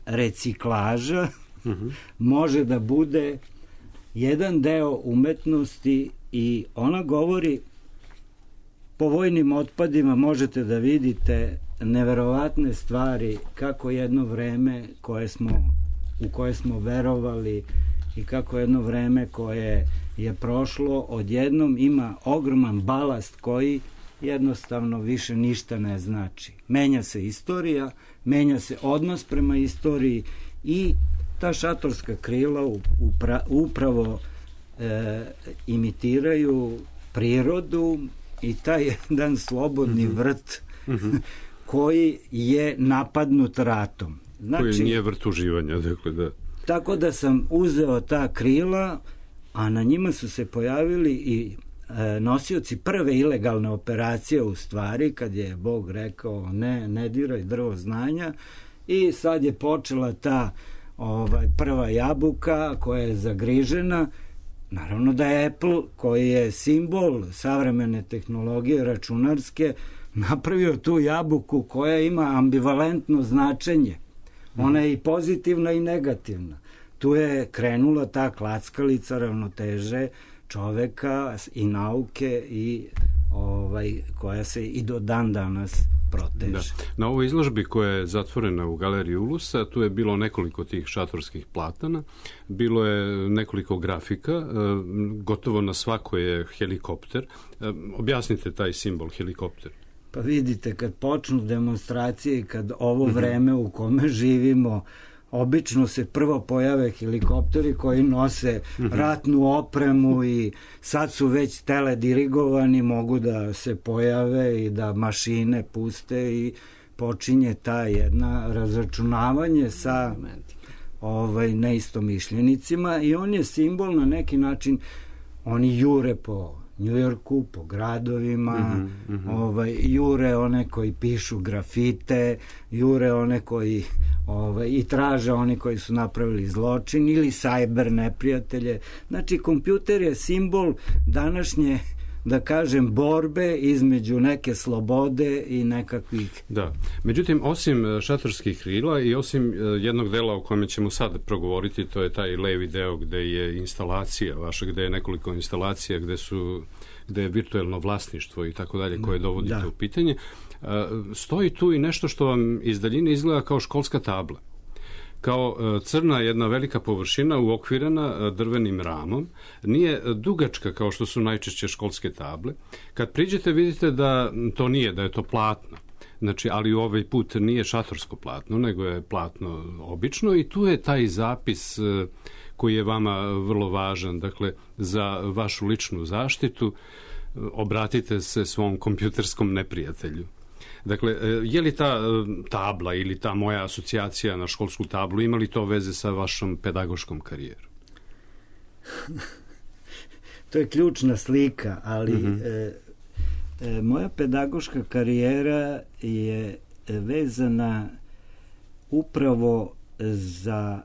reciklaža uh-huh. može da bude jedan deo umetnosti i ona govori po vojnim otpadima možete da vidite neverovatne stvari kako jedno vreme koje smo, u koje smo verovali i kako jedno vreme koje je prošlo odjednom ima ogroman balast koji jednostavno više ništa ne znači. Menja se istorija, menja se odnos prema istoriji i ta šatorska krila upra, upravo e, imitiraju prirodu i taj jedan slobodni mm-hmm. vrt mm-hmm. koji je napadnut ratom. Znači, koji nije vrt uživanja, dakle, da. Tako da sam uzeo ta krila, a na njima su se pojavili i e, nosioci prve ilegalne operacije u stvari, kad je Bog rekao ne, ne diraj drvo znanja, i sad je počela ta ovaj, prva jabuka koja je zagrižena. Naravno da je Apple, koji je simbol savremene tehnologije računarske, napravio tu jabuku koja ima ambivalentno značenje. Ona je i pozitivna i negativna. Tu je krenula ta klackalica ravnoteže čoveka i nauke i ovaj, koja se i do dan danas proteže. Da. Na ovoj izložbi koja je zatvorena u galeriji Ulusa, tu je bilo nekoliko tih šatorskih platana, bilo je nekoliko grafika, gotovo na svako je helikopter. Objasnite taj simbol helikopter. Pa vidite, kad počnu demonstracije i kad ovo vreme u kome živimo, obično se prvo pojave helikopteri koji nose ratnu opremu i sad su već teledirigovani, mogu da se pojave i da mašine puste i počinje ta jedna razračunavanje sa ovaj, neistomišljenicima i on je simbol na neki način, oni jure po Njujorku, po gradovima, mm-hmm, mm-hmm. Ovaj, jure one koji pišu grafite, jure one koji ovaj, i traže oni koji su napravili zločin ili sajber neprijatelje. Znači, kompjuter je simbol današnje, da kažem, borbe između neke slobode i nekakvih... Da. Međutim, osim šatorskih krila i osim jednog dela o kome ćemo sad progovoriti, to je taj levi deo gde je instalacija vaša, gde je nekoliko instalacija, gde su gde je virtuelno vlasništvo i tako dalje, koje dovodite da. u pitanje, stoji tu i nešto što vam iz daljine izgleda kao školska tabla. Kao crna jedna velika površina uokvirena drvenim ramom, nije dugačka kao što su najčešće školske table. Kad priđete vidite da to nije, da je to platno. Znači, ali ovaj put nije šatorsko platno, nego je platno obično i tu je taj zapis koji je vama vrlo važan, dakle, za vašu ličnu zaštitu. Obratite se svom kompjuterskom neprijatelju. Dakle, je li ta tabla ili ta moja asocijacija na školsku tablu, ima li to veze sa vašom pedagoškom karijerom? To je ključna slika, ali mm-hmm. e, e, moja pedagoška karijera je vezana upravo za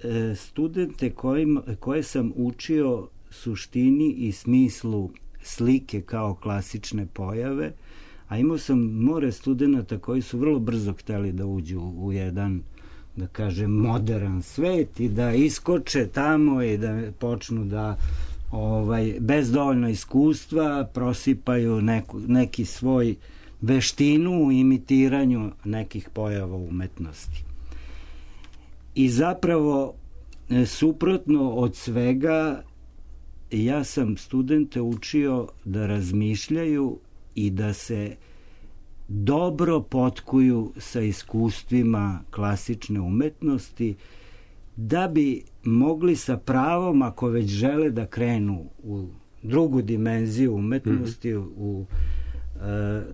e, studente kojim, koje sam učio suštini i smislu slike kao klasične pojave, a imao sam more studenta koji su vrlo brzo hteli da uđu u jedan, da kažem, modern svet i da iskoče tamo i da počnu da ovaj, bez dovoljno iskustva prosipaju neku, neki svoj veštinu u imitiranju nekih pojava umetnosti. I zapravo, suprotno od svega, ja sam studente učio da razmišljaju i da se dobro potkuju sa iskustvima klasične umetnosti, da bi mogli sa pravom, ako već žele da krenu u drugu dimenziju umetnosti, mm-hmm. u,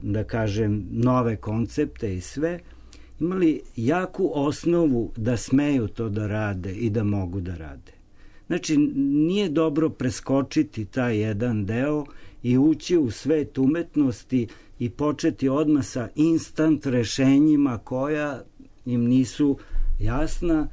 da kažem, nove koncepte i sve, imali jaku osnovu da smeju to da rade i da mogu da rade. Znači, nije dobro preskočiti taj jedan deo i ući u svet umetnosti i početi odmah sa instant rešenjima koja im nisu jasna,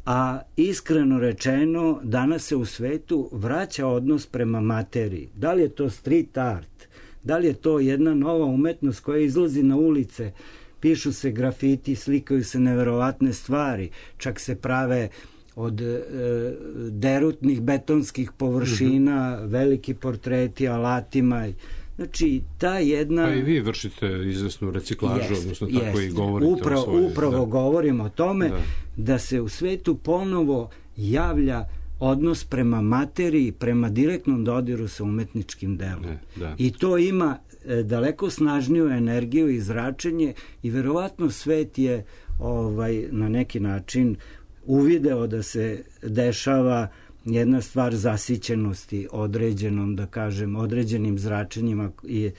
a iskreno rečeno, danas se u svetu vraća odnos prema materiji. Da li je to street art, da li je to jedna nova umetnost koja izlazi na ulice, pišu se grafiti, slikaju se neverovatne stvari, čak se prave od e, derutnih betonskih površina, mm-hmm. veliki portreti alatima. Znači, ta jedna... Pa i vi vršite izvesnu reciklažu, jest, odnosno tako jest. I govorite upravo, o svoje... Upravo da. govorim o tome da. da se u svetu ponovo javlja odnos prema materiji, prema direktnom dodiru sa umetničkim delom. Ne, da. I to ima e, daleko snažniju energiju i zračenje i verovatno svet je ovaj, na neki način uvideo da se dešava jedna stvar zasićenosti određenom, da kažem, određenim zračenjima i e,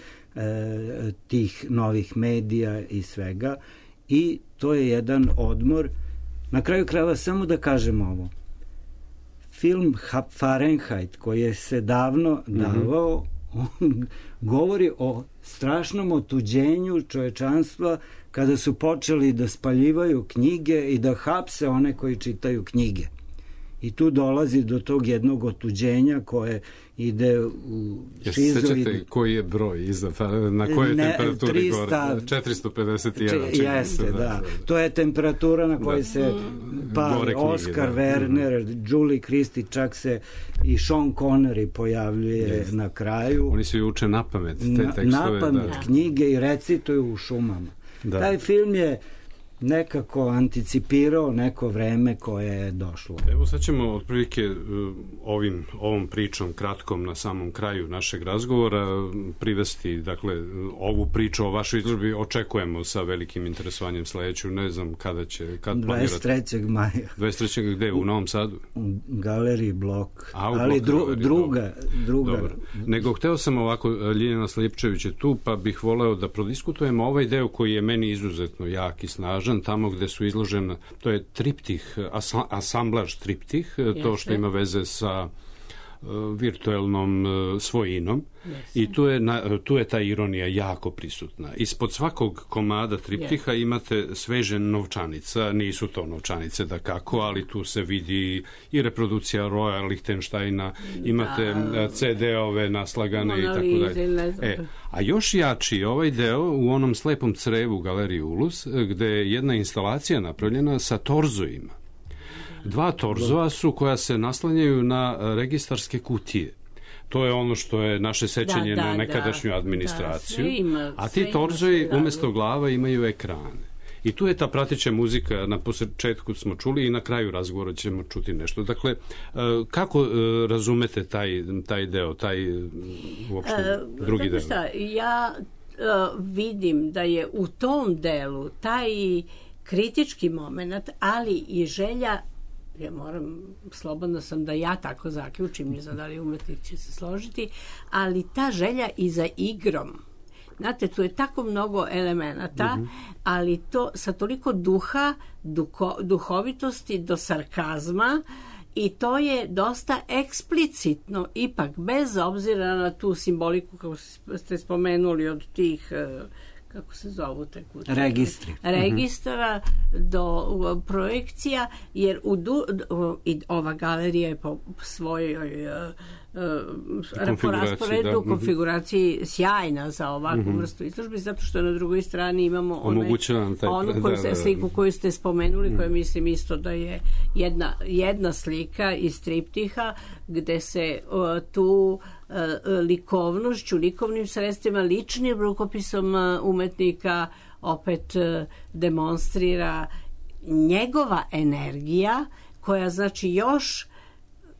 tih novih medija i svega. I to je jedan odmor. Na kraju krajeva samo da kažem ovo. Film Fahrenheit koji je se davno davao, on govori o strašnom otuđenju čovečanstva kada su počeli da spaljivaju knjige i da hapse one koji čitaju knjige. I tu dolazi do tog jednog otuđenja koje ide u šizoid... Sećate koji je broj iza, na kojoj ne, temperaturi trista, gore? četiristo pedeset jedan. Če, jeste, da, da. To je temperatura na kojoj da. se pali Oscar, da. Werner, mm. Julie Christie, čak se i Sean Connery pojavljuje yes. na kraju. Oni se uče na pamet te tekstove. Na pamet da. knjige i recituju u šumama. Da. Taj film je nekako anticipirao neko vreme koje je došlo. Evo sad ćemo otprilike ovim, ovom pričom kratkom na samom kraju našeg razgovora privesti, dakle, ovu priču o vašoj izložbi očekujemo sa velikim interesovanjem sledeću, ne znam kada će, kad planirate. dvadeset trećeg maja. dvadeset trećeg gde? U Novom Sadu? U Galeriji Blok. A, u ali Blok, dru, galeriji, druga, druga. Dobro. Nego hteo sam ovako, Ljiljana Slijepčević je tu, pa bih voleo da prodiskutujemo ovaj deo koji je meni izuzetno jak i snažan, tamo gde su izložena, to je triptih, asamblaž triptih, Jeste. to što ima veze sa uh, virtuelnom uh, svojinom. Jeste. I tu je, na, tu je ta ironija jako prisutna. Ispod svakog komada triptiha Jeste. imate sveže novčanica, nisu to novčanice da kako, ali tu se vidi i reprodukcija Roya Lichtensteina, imate da. ce de-ove naslagane i tako dalje. E, a još jači ovaj deo u onom slepom crevu u Galeriji Ulus, gde je jedna instalacija napravljena sa torzojima. Dva torzova su koja se naslanjaju na registarske kutije. To je ono što je naše sećanje da, da, na nekadašnju administraciju. Da, ima, a ti torzoji umesto glava imaju ekrane. I tu je ta prateća muzika, na početku smo čuli i na kraju razgovora ćemo čuti nešto. Dakle, kako razumete taj, taj deo, taj uopšte uh, drugi deo? Šta, ja uh, vidim da je u tom delu taj kritički moment, ali i želja, ja moram, slobodna sam da ja tako zaključim, ne znam da li umetnik će se složiti, ali ta želja i za igrom. Znate, tu je tako mnogo elemenata, mm-hmm. ali to sa toliko duha, duho, duhovitosti do sarkazma, i to je dosta eksplicitno, ipak, bez obzira na tu simboliku, kako ste spomenuli, od tih, kako se zovu te kuće? Registri. Registara mm-hmm. do projekcija, jer u du, i ova galerija je po svojoj uh, po rasporedu, da. konfiguraciji sjajna za ovakvu mm-hmm. vrstu izložbe, zato što na drugoj strani imamo onaj, onu koju, da, da, sliku koju ste spomenuli, mm. koja mislim isto da je jedna, jedna slika iz triptiha, gde se uh, tu uh, likovnošću, likovnim sredstvima, ličnim rukopisom uh, umetnika opet uh, demonstrira njegova energija, koja znači još,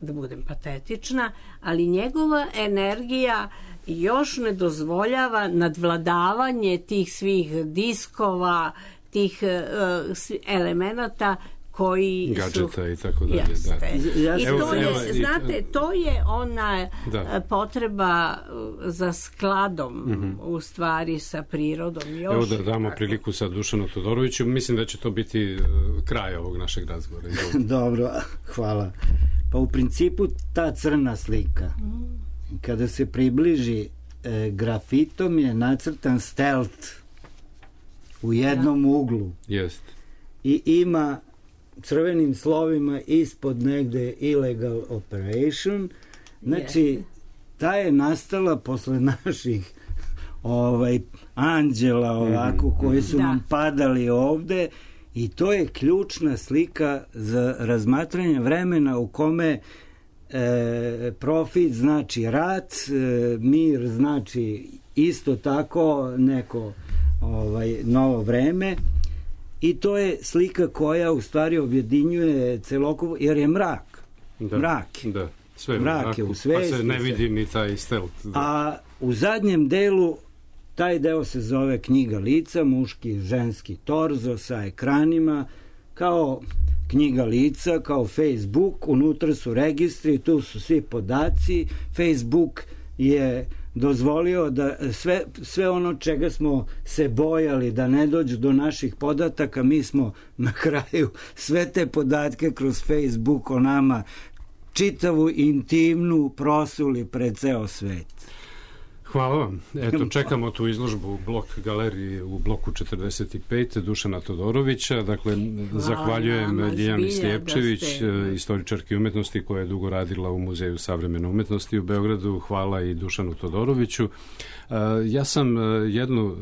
da budem patetična, ali njegova energija još ne dozvoljava nadvladavanje tih svih diskova, tih uh, elemenata koji gadžeta su... i tako dalje. Da. I to je, znate, to je ona da. potreba za skladom mm-hmm. u stvari sa prirodom. Još Evo da damo priliku sa Dušanu Todoroviću. Mislim da će to biti kraj ovog našeg razgovora. Dobro, hvala. Pa u principu ta crna slika, mm. kada se približi e, grafitom je nacrtan stealth u jednom ja. uglu. Jest. I ima crvenim slovima ispod negde illegal operation. Znači, yeah. ta je nastala posle naših ovaj, anđela ovako, mm-hmm. koji su da. nam padali ovde, i to je ključna slika za razmatranje vremena u kome e, profit znači rat, e, mir znači isto tako neko ovaj, novo vreme. I to je slika koja u stvari objedinjuje celokupo, jer je mrak. Da, mrak. Da, sve mrak je u svesti. Pa se ne vidi ni taj stealth. Da. A u zadnjem delu, taj deo se zove knjiga lica, muški, ženski torzo sa ekranima, kao knjiga lica, kao Facebook, unutra su registri, tu su svi podaci. Facebook je dozvolio da sve, sve ono čega smo se bojali da ne dođu do naših podataka, mi smo na kraju sve te podatke kroz Facebook o nama, čitavu intimnu prosuli pred ceo svet. Hvala vam. Eto, čekamo tu izložbu u Blok galeriji u bloku četrdeset pet Dušana Todorovića. Dakle, hvala, zahvaljujem Ljiljani Slijepčević, istoričarki umetnosti koja je dugo radila u Muzeju savremene umetnosti u Beogradu. Hvala i Dušanu Todoroviću. Ja sam jednu,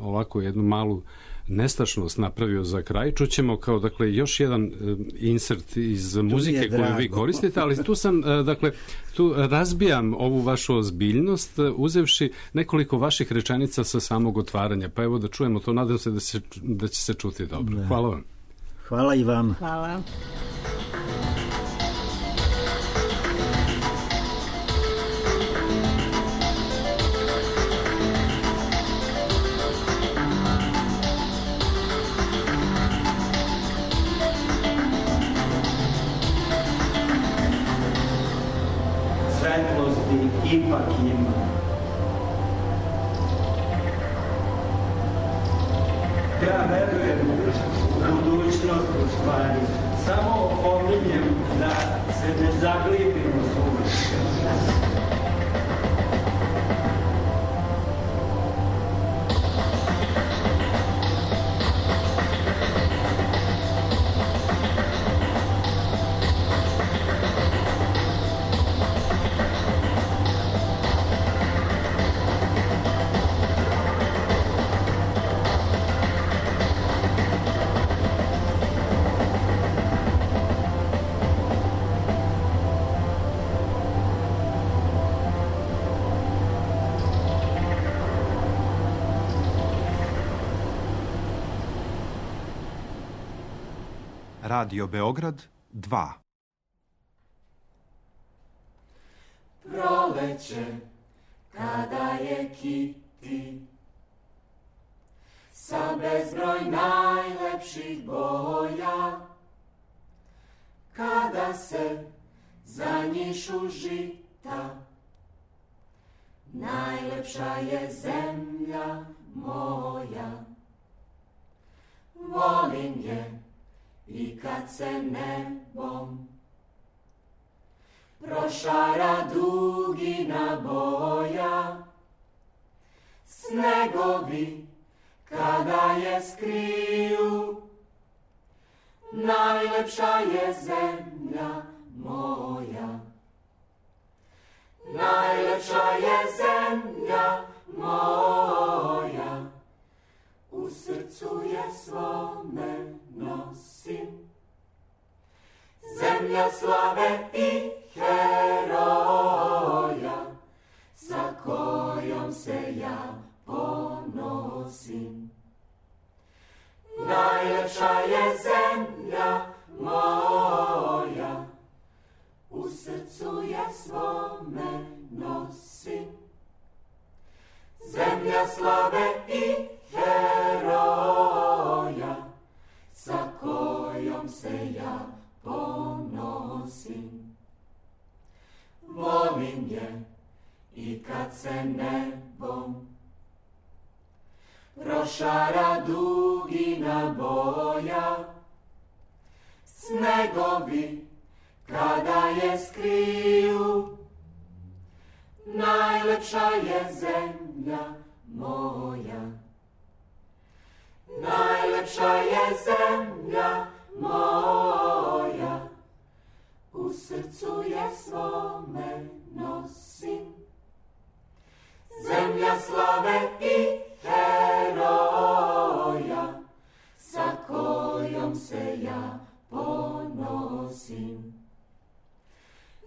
ovako, jednu malu nestašnost napravio za kraj. Čućemo kao, dakle, još jedan insert iz muzike koju vi koristite, ali tu sam, dakle, tu razbijam ovu vašu ozbiljnost uzevši nekoliko vaših rečenica sa samog otvaranja. Pa evo da čujemo to, nadam se da, se, da će se čuti dobro. Da. Hvala vam. Hvala i vam. Hvala. Ipak ima. Ja verujem u budućnost u stvari. Samo opominjem da se ne zaglibimo suviše. Radio Beograd dva. Proleće, kada je kiti, sa bezbroj najlepših boja, kada se zanjišu žita, najlepša je zemlja moja. Volim je i kad se nebom prošara dugina boja, snegovi kada je skriju, najlepša je zemlja moja. Najlepša je zemlja moja, u srcu je svome nosim. Zemlja slave i heroja, sa kojom se ja ponosim. Najlepša je zemlja moja, u srcu je svome nosim. Zemlja slave i heroja, sa kojom se ja ponosim. Volim je i kad se nebom prošara dugina boja, snegovi kada je skriju, najlepša je zemlja moja. Najlepša je zemlja moja, u srcu je svome nosim. Zemlja slave i heroja, sa kojom se ja ponosim.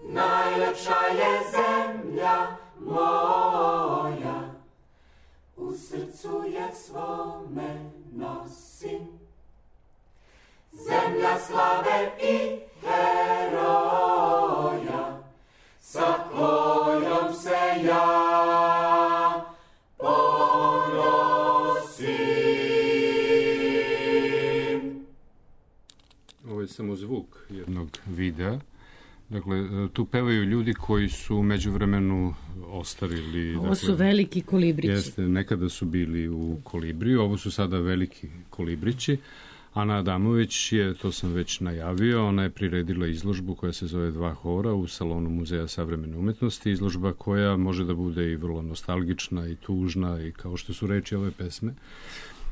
Najlepša je zemlja moja, u srcu je svome nosim. Zemlja slave i heroja, sa kojom se ja ponosim. Ovo je samo zvuk jednog videa Dakle, tu pevaju ljudi koji su u međuvremenu ostarili. Ovo dakle, su veliki kolibrići. Jeste, nekada su bili u Kolibriju, ovo su sada veliki kolibrići. Ana Adamović je, to sam već najavio, ona je priredila izložbu koja se zove Dva hora u salonu Muzeja savremene umetnosti, izložba koja može da bude i vrlo nostalgična i tužna i kao što su reči ove pesme.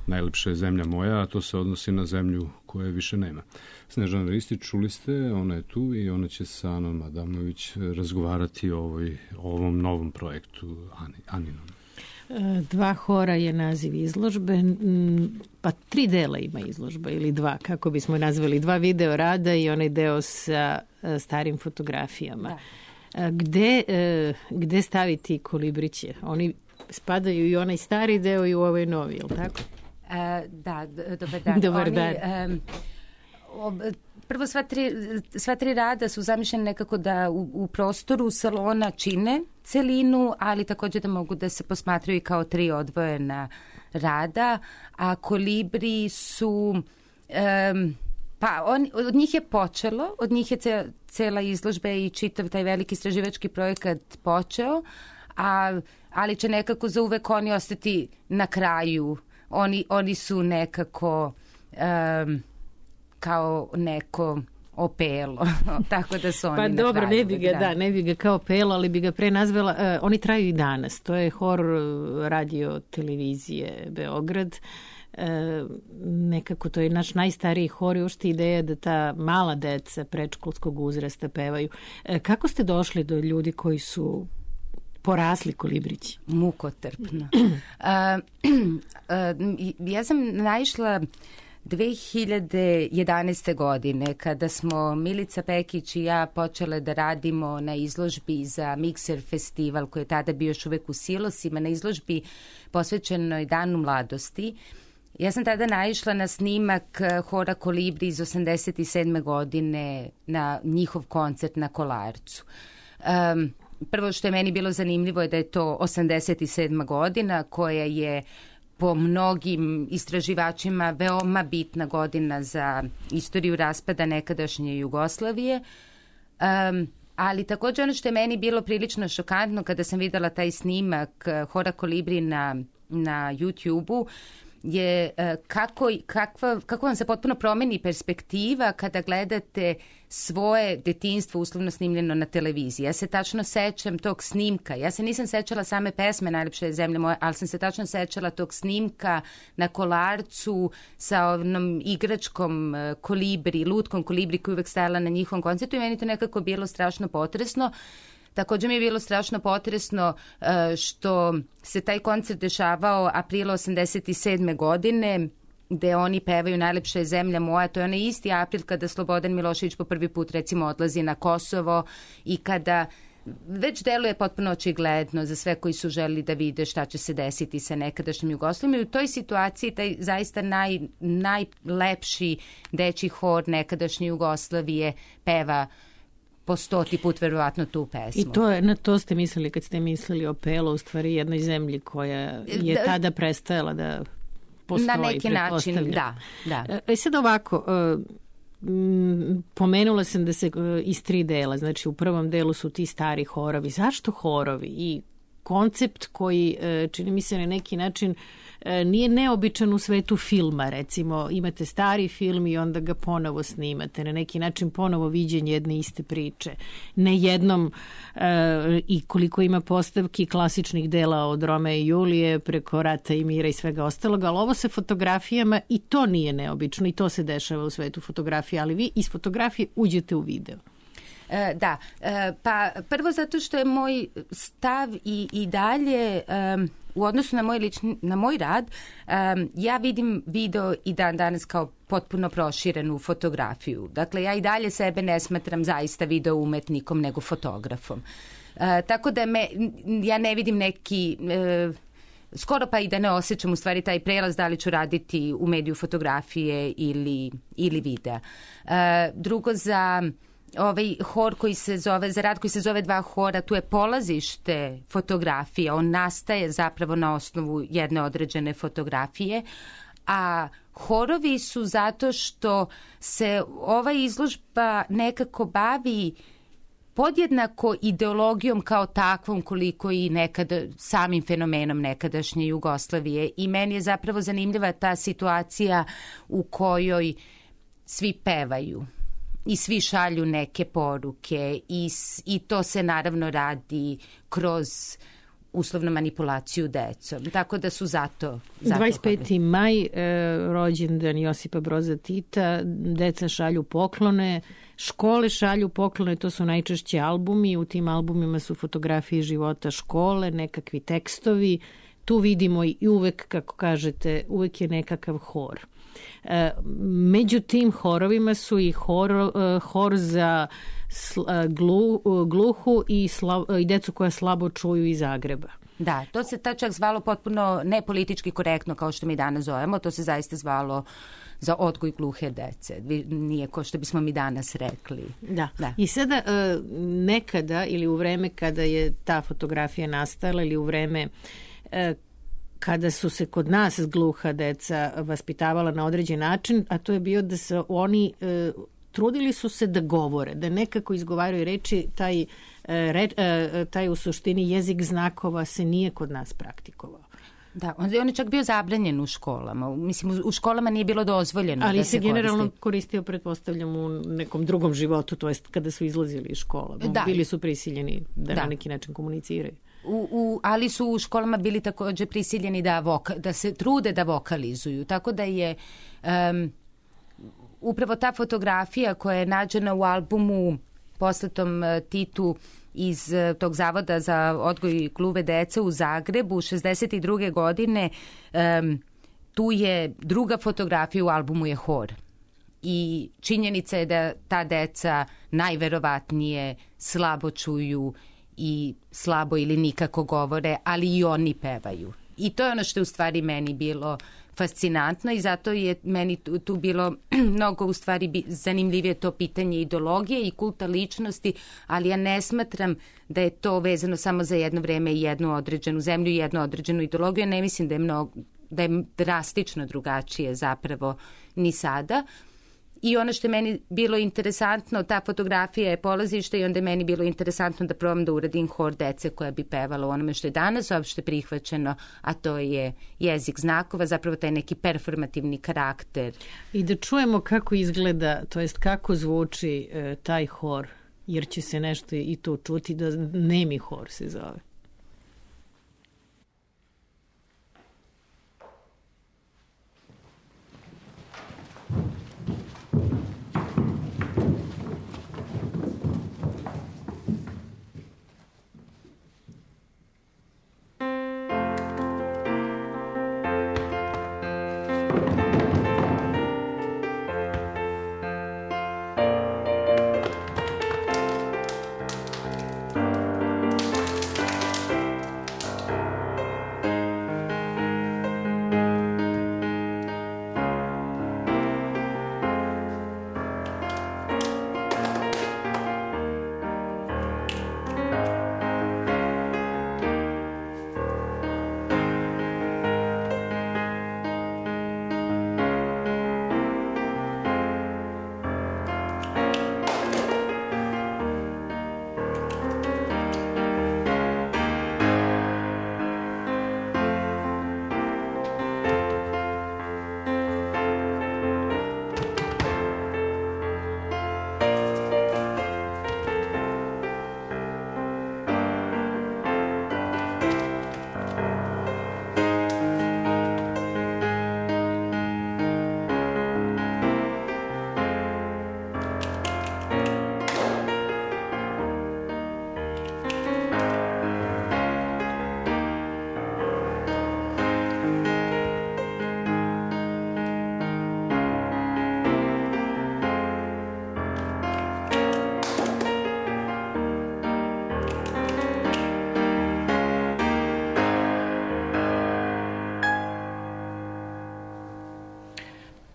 Najlepša je zemlja moja, a to se odnosi na zemlju koje više nema. Snežana Ristić, čuli ste, ona je tu i ona će sa Anom Adamović razgovarati o, ovoj, o ovom novom projektu Ani, Aninom. Dva hora je naziv izložbe, pa tri dela ima izložba ili dva, kako bismo nazvali, dva video rada i onaj deo sa starim fotografijama. Da. Gde, gde staviti kolibriće? Oni spadaju i onaj stari deo i u ovaj novi, je li tako? E, da, dobar dan. Dobar Oni, dan. Um, ob, prvo, sva tri, sva tri rada su zamišljene nekako da u, u prostoru salona čine celinu, ali također da mogu da se posmatraju i kao tri odvojena rada, a kolibri su... Um, pa on, od njih je počelo, od njih je ce, cela izložba i čitav taj veliki istraživački projekat počeo, a, ali će nekako za uvek oni ostati na kraju. Oni, oni su nekako um, kao neko opelo, tako da su oni pa na dobro, kraju. ne bi ga, da. da, ne bi ga kao pelo, ali bi ga pre nazvala, uh, oni traju i danas, to je hor radio televizije Beograd, uh, nekako to je naš najstariji hor i uopšte ideja da ta mala deca predškolskog uzrasta pevaju. Uh, kako ste došli do ljudi koji su porasli kolibrići? Mukotrpno. uh, uh, ja sam naišla dve hiljade jedanaeste. godine kada smo Milica Pekić i ja počele da radimo na izložbi za Mikser festival koji je tada bio još uvek u Silosima, na izložbi posvećenoj Danu mladosti. Ja sam tada naišla na snimak hora Kolibri iz osamdeset sedme. godine na njihov koncert na Kolarcu. Um, Prvo što je meni bilo zanimljivo je da je to osamdeset sedma. godina koja je po mnogim istraživačima veoma bitna godina za istoriju raspada nekadašnje Jugoslavije. Um, ali također ono što je meni bilo prilično šokantno kada sam videla taj snimak hora Kolibri na, na YouTube-u je kako, kakva, kako vam se potpuno promeni perspektiva kada gledate svoje detinjstvo uslovno snimljeno na televiziji. Ja se tačno sećam tog snimka. Ja se nisam sećala same pesme Najlepša je zemlja moja, ali sam se tačno sećala tog snimka na Kolarcu sa onom igračkom kolibri, lutkom kolibri koja je uvek stajala na njihovom koncertu i meni to nekako bilo strašno potresno. Također mi je bilo strašno potresno što se taj koncert dešavao aprila osamdeset sedme. godine, gde oni pevaju Najlepša je zemlja moja. To je onaj isti april kada Slobodan Milošević po prvi put recimo odlazi na Kosovo i kada već deluje potpuno očigledno za sve koji su želeli da vide šta će se desiti sa nekadašnjim Jugoslavijom. I u toj situaciji taj zaista naj, najlepši dečji hor nekadašnje Jugoslavije peva po stoti put verovatno tu pesmu. I to je, na to ste mislili kad ste mislili o Pelo, u stvari jednoj zemlji koja je da, tada prestajala da postoji. Na neki način, da. da. E sad ovako, pomenula sam da se iz tri dela, znači u prvom delu su ti stari horovi. Zašto horovi? I koncept koji, čini mi se na neki način, nije neobičan u svetu filma, recimo imate stari film i onda ga ponovo snimate, na neki način ponovo viđenje jedne iste priče. Ne jednom e, i koliko ima postavki klasičnih dela od Romea i Julije preko Rata i mira i svega ostalog, ali ovo sa fotografijama i to nije neobično i to se dešava u svetu fotografije, ali vi iz fotografije uđete u video. E, da, e, pa prvo zato što je moj stav i, i dalje um, u odnosu na moj, lični, na moj rad, um, ja vidim video i dan danas kao potpuno proširenu fotografiju. Dakle, ja i dalje sebe ne smatram zaista video umetnikom nego fotografom. E, tako da me, ja ne vidim neki... E, skoro pa i da ne osjećam u stvari taj prelaz da li ću raditi u mediju fotografije ili, ili videa. E, drugo, za... ovaj hor koji se zove, za rad koji se zove Dva hora, tu je polazište fotografija, on nastaje zapravo na osnovu jedne određene fotografije, a horovi su zato što se ova izložba nekako bavi podjednako ideologijom kao takvom koliko i nekada samim fenomenom nekadašnje Jugoslavije. I meni je zapravo zanimljiva ta situacija u kojoj svi pevaju i svi šalju neke poruke i, i to se naravno radi kroz uslovnu manipulaciju decom. Tako da su zato... zato dvadeset peti maj, e, rođendan Josipa Broza Tita, deca šalju poklone, škole šalju poklone, to su najčešće albumi, u tim albumima su fotografije života škole, nekakvi tekstovi, tu vidimo i uvek, kako kažete, uvek je nekakav hor. E, među tim horovima su i hor, hor za glu, gluhu i, slav, i decu koja slabo čuju iz Zagreba. Da, to se ta čak zvalo potpuno nepolitički korektno kao što mi danas zovemo, to se zaista zvalo za odgoj gluhe dece. Nije ko što bismo mi danas rekli. Da. da. I sada nekada ili u vreme kada je ta fotografija nastala ili u vreme kada su se kod nas gluha deca vaspitavala na određen način, a to je bio da se oni e, trudili su se da govore, da nekako izgovaraju reči, taj, re, e, taj u suštini jezik znakova se nije kod nas praktikovao. Da, on je čak bio zabranjen u školama. Mislim, u školama nije bilo dozvoljeno ali da se, se generalno koristi. koristio, pretpostavljam, u nekom drugom životu, to jest kada su izlazili iz škola. Da. Bili su prisiljeni da, da na neki način komuniciraju. U, u, ali su u školama bili također prisiljeni da, voka, da se trude da vokalizuju. Tako da je um, upravo ta fotografija koja je nađena u albumu poslatom uh, Titu iz uh, tog Zavoda za odgoj gluve dece u Zagrebu šezdeset druge godine, um, tu je druga fotografija u albumu je hor. I činjenica je da ta deca najverovatnije slabo čuju i slabo ili nikako govore, ali i oni pevaju. I to je ono što je u stvari meni bilo fascinantno i zato je meni tu, tu bilo mnogo u stvari zanimljivije to pitanje ideologije i kulta ličnosti, ali ja ne smatram da je to vezano samo za jedno vreme i jednu određenu zemlju i jednu određenu ideologiju. Ja ne mislim da je, mnogo, da je drastično drugačije zapravo ni sada. I ono što je meni bilo interesantno, ta fotografija je polazište i onda je meni bilo interesantno da probam da uradim hor dece koja bi pevala u onome što je danas uopšte prihvaćeno, a to je jezik znakova, zapravo taj neki performativni karakter. I da čujemo kako izgleda, to jest kako zvuči e, taj hor, jer će se nešto i to čuti, da nemi hor se zove.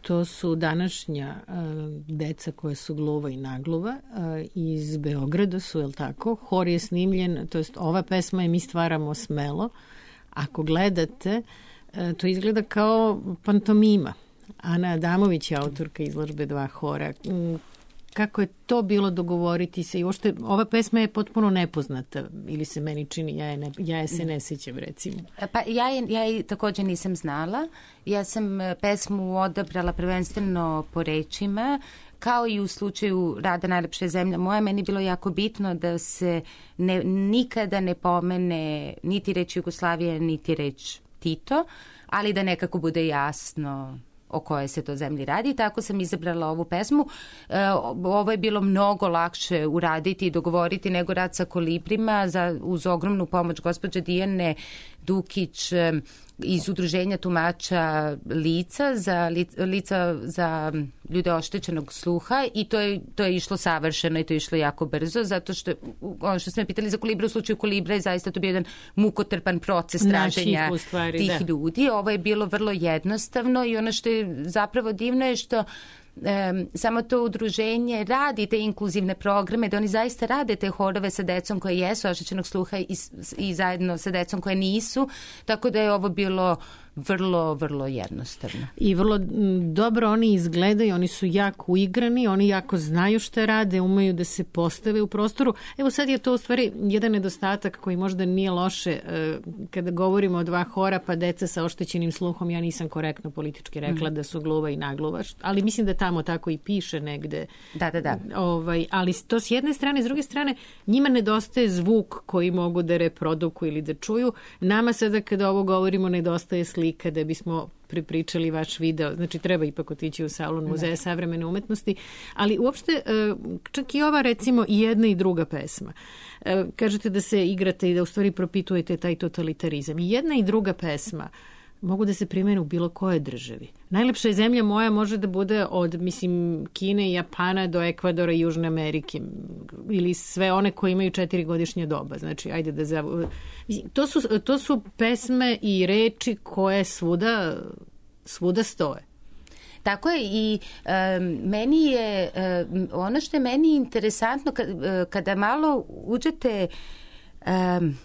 To su današnja uh, deca koja su gluva i nagluva uh, iz Beograda su, je li tako? Hor je snimljen, to jest ova pesma je Mi stvaramo smelo. Ako gledate, uh, to izgleda kao pantomima. Ana Adamović je autorka izložbe Dva hora. kako je to bilo dogovoriti se i uopšte ova pesma je potpuno nepoznata ili se meni čini, ja je, ne, ja je se ne sjećam recimo. Pa ja je, ja je također nisam znala, ja sam pesmu odabrala prvenstveno po rečima, kao i u slučaju Rada najlepša zemlja moja, meni je bilo jako bitno da se ne, nikada ne pomene niti reč Jugoslavije, niti reč Tito, ali da nekako bude jasno o kojoj se to zemlji radi. Tako sam izabrala ovu pesmu. E, ovo je bilo mnogo lakše uraditi i dogovoriti nego Rad sa kolibrima za, uz ogromnu pomoć gospođe Dijane Dukić iz udruženja tumača lica za, lica za ljude oštećenog sluha i to je, to je išlo savršeno i to je išlo jako brzo, zato što ono što ste me pitali za Kolibra, u slučaju Kolibra je zaista to bio jedan mukotrpan proces traženja stvari, tih da. ljudi. Ovo je bilo vrlo jednostavno i ono što je zapravo divno je što Um, samo to udruženje radi te inkluzivne programe, da oni zaista rade te horove sa decom koje jesu oštećenog sluha i, i zajedno sa decom koje nisu, tako da je ovo bilo vrlo, vrlo jednostavno. I vrlo m, dobro oni izgledaju, oni su jako uigrani, oni jako znaju šta rade, umeju da se postave u prostoru. Evo sad je to u stvari jedan nedostatak koji možda nije loše e, kada govorimo o dva hora, pa deca sa oštećenim sluhom, ja nisam korektno politički rekla mm. da su gluva i nagluva, ali mislim da tamo tako i piše negde. Da, da, da. Ovaj, ali to s jedne strane, s druge strane, njima nedostaje zvuk koji mogu da reprodukuju ili da čuju. Nama sada kada ovo govorimo nedostaje slika da bismo pripričali vaš video. Znači treba ipak otići u salon Muzeja savremene umetnosti, ali uopšte čak i ova recimo i jedna i druga pesma. Kažete da se igrate i da u stvari propitujete taj totalitarizam. I jedna i druga pesma mogu da se primene u bilo kojoj državi. Najlepša je zemlja moja može da bude od, mislim, Kine i Japana do Ekvadora i Južne Amerike ili sve one koje imaju četiri godišnje doba. Znači, ajde da zav... To su, to su pesme i reči koje svuda, svuda stoje. Tako je i um, meni je, um, ono što je meni interesantno kad, uh, kada malo uđete um,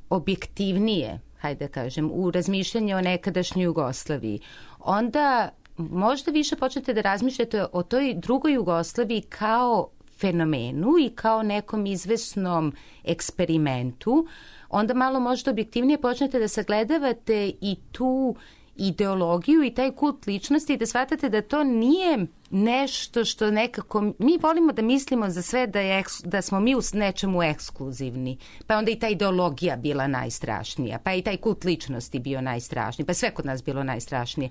objektivnije, hajde da kažem, u razmišljanje o nekadašnjoj Jugoslaviji, onda možda više počnete da razmišljate o toj drugoj Jugoslaviji kao fenomenu i kao nekom izvesnom eksperimentu, onda malo možda objektivnije počnete da sagledavate i tu ideologiju i taj kult ličnosti i da shvatate da to nije nešto što nekako, mi volimo da mislimo za sve da, je, da smo mi u nečemu ekskluzivni, pa onda i ta ideologija bila najstrašnija, pa i taj kult ličnosti bio najstrašniji, pa sve kod nas bilo najstrašnije.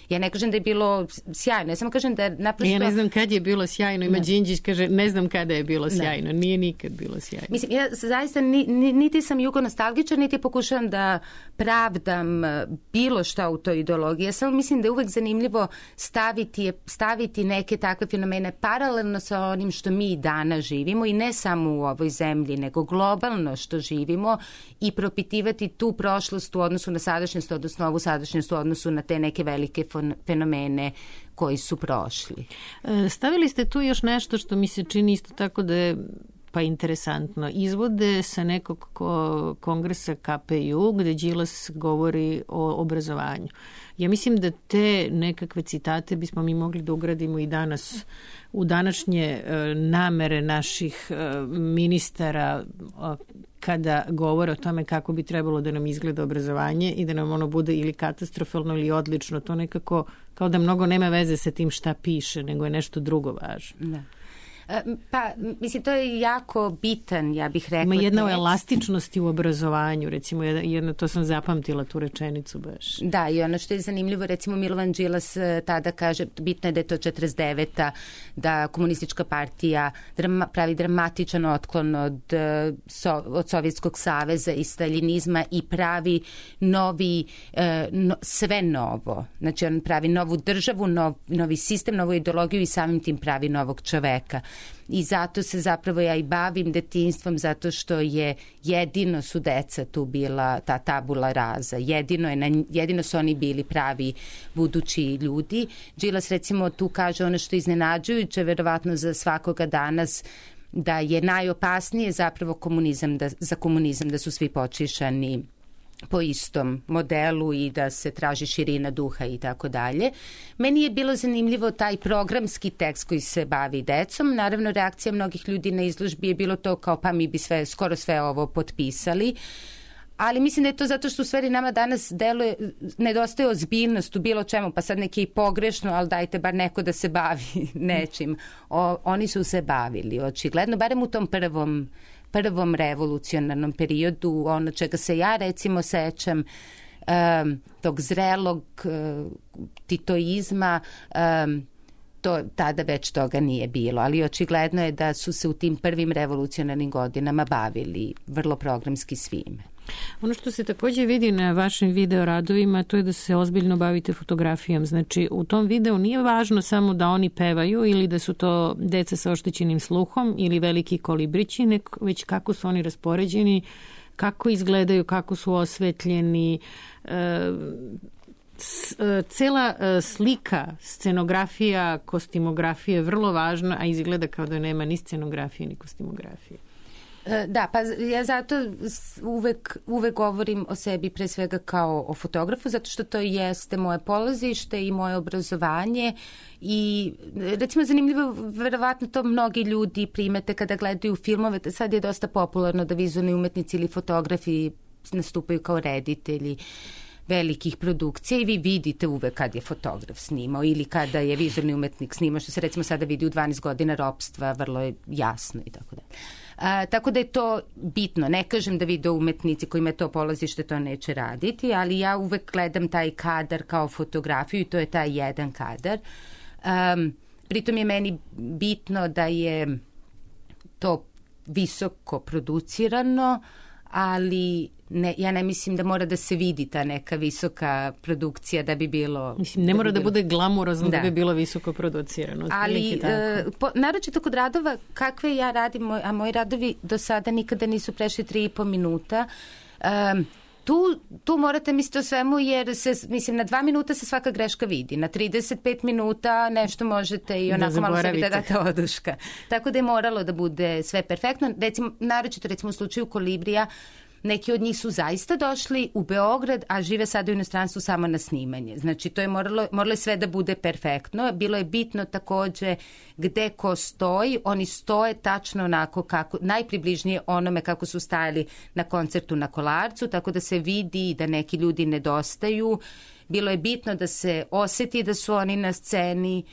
Ja ne kažem da je bilo sjajno, ja samo kažem da naprosto... Ja ne znam kad je bilo sjajno, ima Đinđić kaže ne znam kada je bilo sjajno, ne. Nije nikad bilo sjajno. Mislim, ja zaista ni, ni, niti sam jugonostalgičar, niti pokušavam da pravdam bilo šta u toj ideologiji. Ja samo mislim da je uvek zanimljivo staviti, staviti neke takve fenomene paralelno sa onim što mi danas živimo i ne samo u ovoj zemlji, nego globalno što živimo i propitivati tu prošlost u odnosu na sadašnjost, odnosno ovu sadašnjost u odnosu na te neke velike fenomene koji su prošli. Stavili ste tu još nešto što mi se čini isto tako da je pa interesantno. Izvode sa nekog kongresa K P U gde Đilas govori o obrazovanju. Ja mislim da te nekakve citate bismo mi mogli da ugradimo i danas u današnje namere naših ministara kada govore o tome kako bi trebalo da nam izgleda obrazovanje i da nam ono bude ili katastrofalno ili odlično. To nekako kao da mnogo nema veze sa tim šta piše, nego je nešto drugo važno. Da. Pa, mislim, to je jako bitan, ja bih rekla. Ima jedna o elastičnosti u obrazovanju, recimo, jedno, to sam zapamtila tu rečenicu baš. Da, i ono što je zanimljivo, recimo, Milovan Đilas tada kaže, bitno je da je to četrdeset deveta, da komunistička partija drama, pravi dramatičan otklon od, so, od Sovjetskog saveza i staljinizma i pravi novi, no, sve novo. Znači, on pravi novu državu, nov, novi sistem, novu ideologiju i samim tim pravi novog čoveka. I zato se zapravo ja i bavim detinjstvom, zato što je jedino su deca tu bila ta tabula raza, jedino, je na, jedino su oni bili pravi budući ljudi. Đilas recimo tu kaže ono što je iznenađujuće, verovatno za svakoga danas, da je najopasnije zapravo komunizam, da, za komunizam da su svi počišani po istom modelu i da se traži širina duha i tako dalje. Meni je bilo zanimljivo taj programski tekst koji se bavi decom. Naravno, reakcija mnogih ljudi na izložbi je bilo to kao pa mi bi sve, skoro sve ovo potpisali. Ali mislim da je to zato što u stvari nama danas deluje, nedostaje ozbiljnost u bilo čemu, pa sad neki i pogrešno, ali dajte bar neko da se bavi nečim. O, oni su se bavili, očigledno, barem u tom prvom prvom revolucionarnom periodu, ono čega se ja recimo sećam, um, tog zrelog uh, titoizma, um, to tada već toga nije bilo, ali očigledno je da su se u tim prvim revolucionarnim godinama bavili vrlo programski svime. Ono što se takođe vidi na vašim video radovima, to je da se ozbiljno bavite fotografijom. Znači, u tom videu nije važno samo da oni pevaju ili da su to deca sa oštećenim sluhom ili veliki kolibrići, nek, već kako su oni raspoređeni, kako izgledaju, kako su osvetljeni. E, cela slika, scenografija, kostimografija je vrlo važna, a izgleda kao da nema ni scenografije ni kostimografije. Da, pa ja zato uvek, uvek govorim o sebi pre svega kao o fotografu, zato što to jeste moje polazište i moje obrazovanje i recimo zanimljivo, verovatno to mnogi ljudi primete kada gledaju filmove, sad je dosta popularno da vizualni umetnici ili fotografi nastupaju kao reditelji velikih produkcija i vi vidite uvek kad je fotograf snimao ili kada je vizualni umetnik snimao, što se recimo sada vidi u dvanaest godina ropstva, vrlo je jasno i tako dalje. A, tako da je to bitno. Ne kažem da video umetnici koji imaju to polazište to neće raditi, ali ja uvek gledam taj kadar kao fotografiju i to je taj jedan kadar. Um, pritom je meni bitno da je to visoko producirano, ali ne, ja ne mislim da mora da se vidi ta neka visoka produkcija da bi bilo... Mislim, ne mora da, bi bilo... da bude glamurozno da. da bi bilo visoko producirano. Ali, uh, po, naročito kod radova, kakve ja radim, a moji radovi do sada nikada nisu prešli tri i po minuta, um, Tu, tu morate misliti o svemu jer se, mislim, na dva minuta se svaka greška vidi. Na trideset pet minuta nešto možete i onako da malo sebi da date oduška. Tako da je moralo da bude sve perfektno. Recimo, naročito recimo u slučaju Kolibrija, neki od njih su zaista došli u Beograd, a žive sada u inostranstvu samo na snimanje. Znači, to je moralo, moralo je sve da bude perfektno. Bilo je bitno takođe gde ko stoji. Oni stoje tačno onako kako, najpribližnije onome kako su stajali na koncertu na Kolarcu, tako da se vidi da neki ljudi nedostaju. Bilo je bitno da se oseti da su oni na sceni,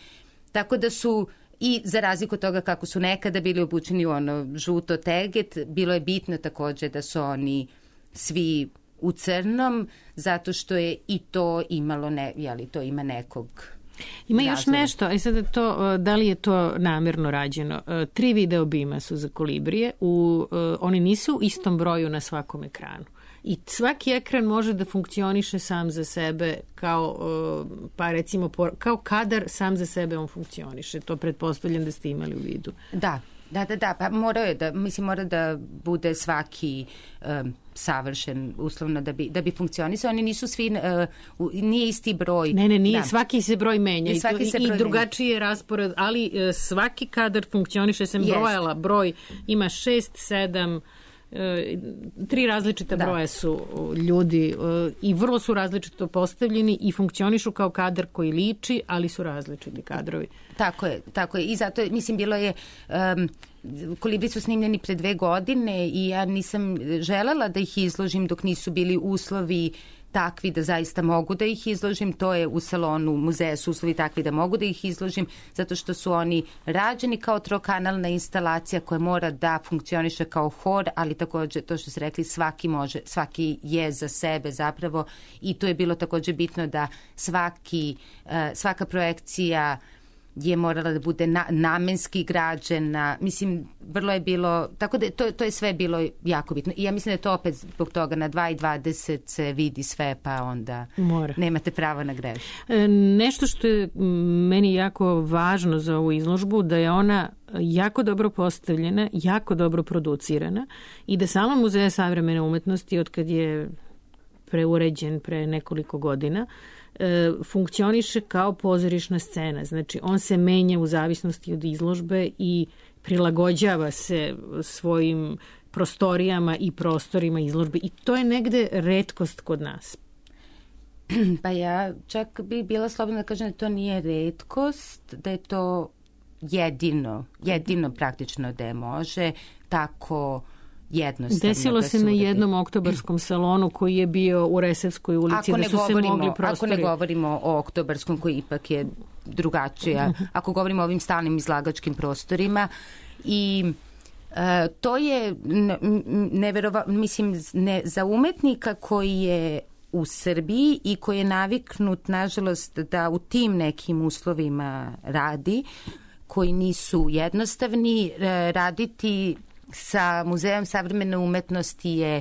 tako da su... I za razliku od toga kako su nekada bili obučeni u ono žuto teget, bilo je bitno takođe da su oni svi u crnom, zato što je i to imalo, ne, jeli, to ima nekog... Ima još razloga. Nešto, a sada to, da li je to namerno rađeno? Tri video bima su za Kolibrije, u, oni nisu u istom broju na svakom ekranu. I svaki ekran može da funkcioniše sam za sebe kao, pa recimo, kao kadar sam za sebe on funkcioniše. To pretpostavljam da ste imali u vidu. Da, da, da, da. Pa mora je da, mislim, mora da bude svaki um, savršen uslovno da bi, da bi funkcionisao. Oni nisu svi, uh, nije isti broj. Ne, ne, nije, da. Svaki se broj menja i, i, to, se i broj drugačiji je raspored, ali uh, svaki kadar funkcioniše, sam Jest. brojala, broj ima šest, sedam, tri različita da. broja su ljudi i vrlo su različito postavljeni i funkcionišu kao kadar koji liči, ali su različiti kadrovi. Tako je, tako je. I zato, mislim, bilo je... Um, Kolibri su snimljeni pre dve godine i ja nisam želela da ih izložim dok nisu bili uslovi takvi da zaista mogu da ih izložim. To je u salonu muzeja su uslovi takvi da mogu da ih izložim, zato što su oni rađeni kao trokanalna instalacija koja mora da funkcioniše kao hor, ali takođe to što ste rekli, svaki može, svaki je za sebe zapravo i to je bilo takođe bitno da svaki, svaka projekcija je morala da bude na, namenski građena. Mislim, vrlo je bilo, tako da to, to je sve bilo jako bitno. I ja mislim da je to opet zbog toga na dva i dvadeset se vidi sve, pa onda Mora. nemate pravo na grešku. E, nešto što je meni jako važno za ovu izložbu, da je ona jako dobro postavljena, jako dobro producirana i da Salon muzeja savremene umetnosti, od kad je preuređen pre nekoliko godina, funkcioniše kao pozorišna scena. Znači, on se menja u zavisnosti od izložbe i prilagođava se svojim prostorijama i prostorima izložbe i to je negde retkost kod nas. Pa ja čak bi bila slobodna da kažem da to nije retkost, da je to jedino, jedino praktično da je može tako jednostavno. Desilo da se na jednom oktobarskom salonu koji je bio u Resavskoj ulici, da su govorimo, se mogli prostori. Ako ne govorimo o oktobarskom koji ipak je drugačija, ako govorimo o ovim stalnim izlagačkim prostorima i uh, to je neverova, mislim, ne, za umetnika koji je u Srbiji i koji je naviknut, nažalost, da u tim nekim uslovima radi, koji nisu jednostavni, raditi sa Muzejom savremene umetnosti je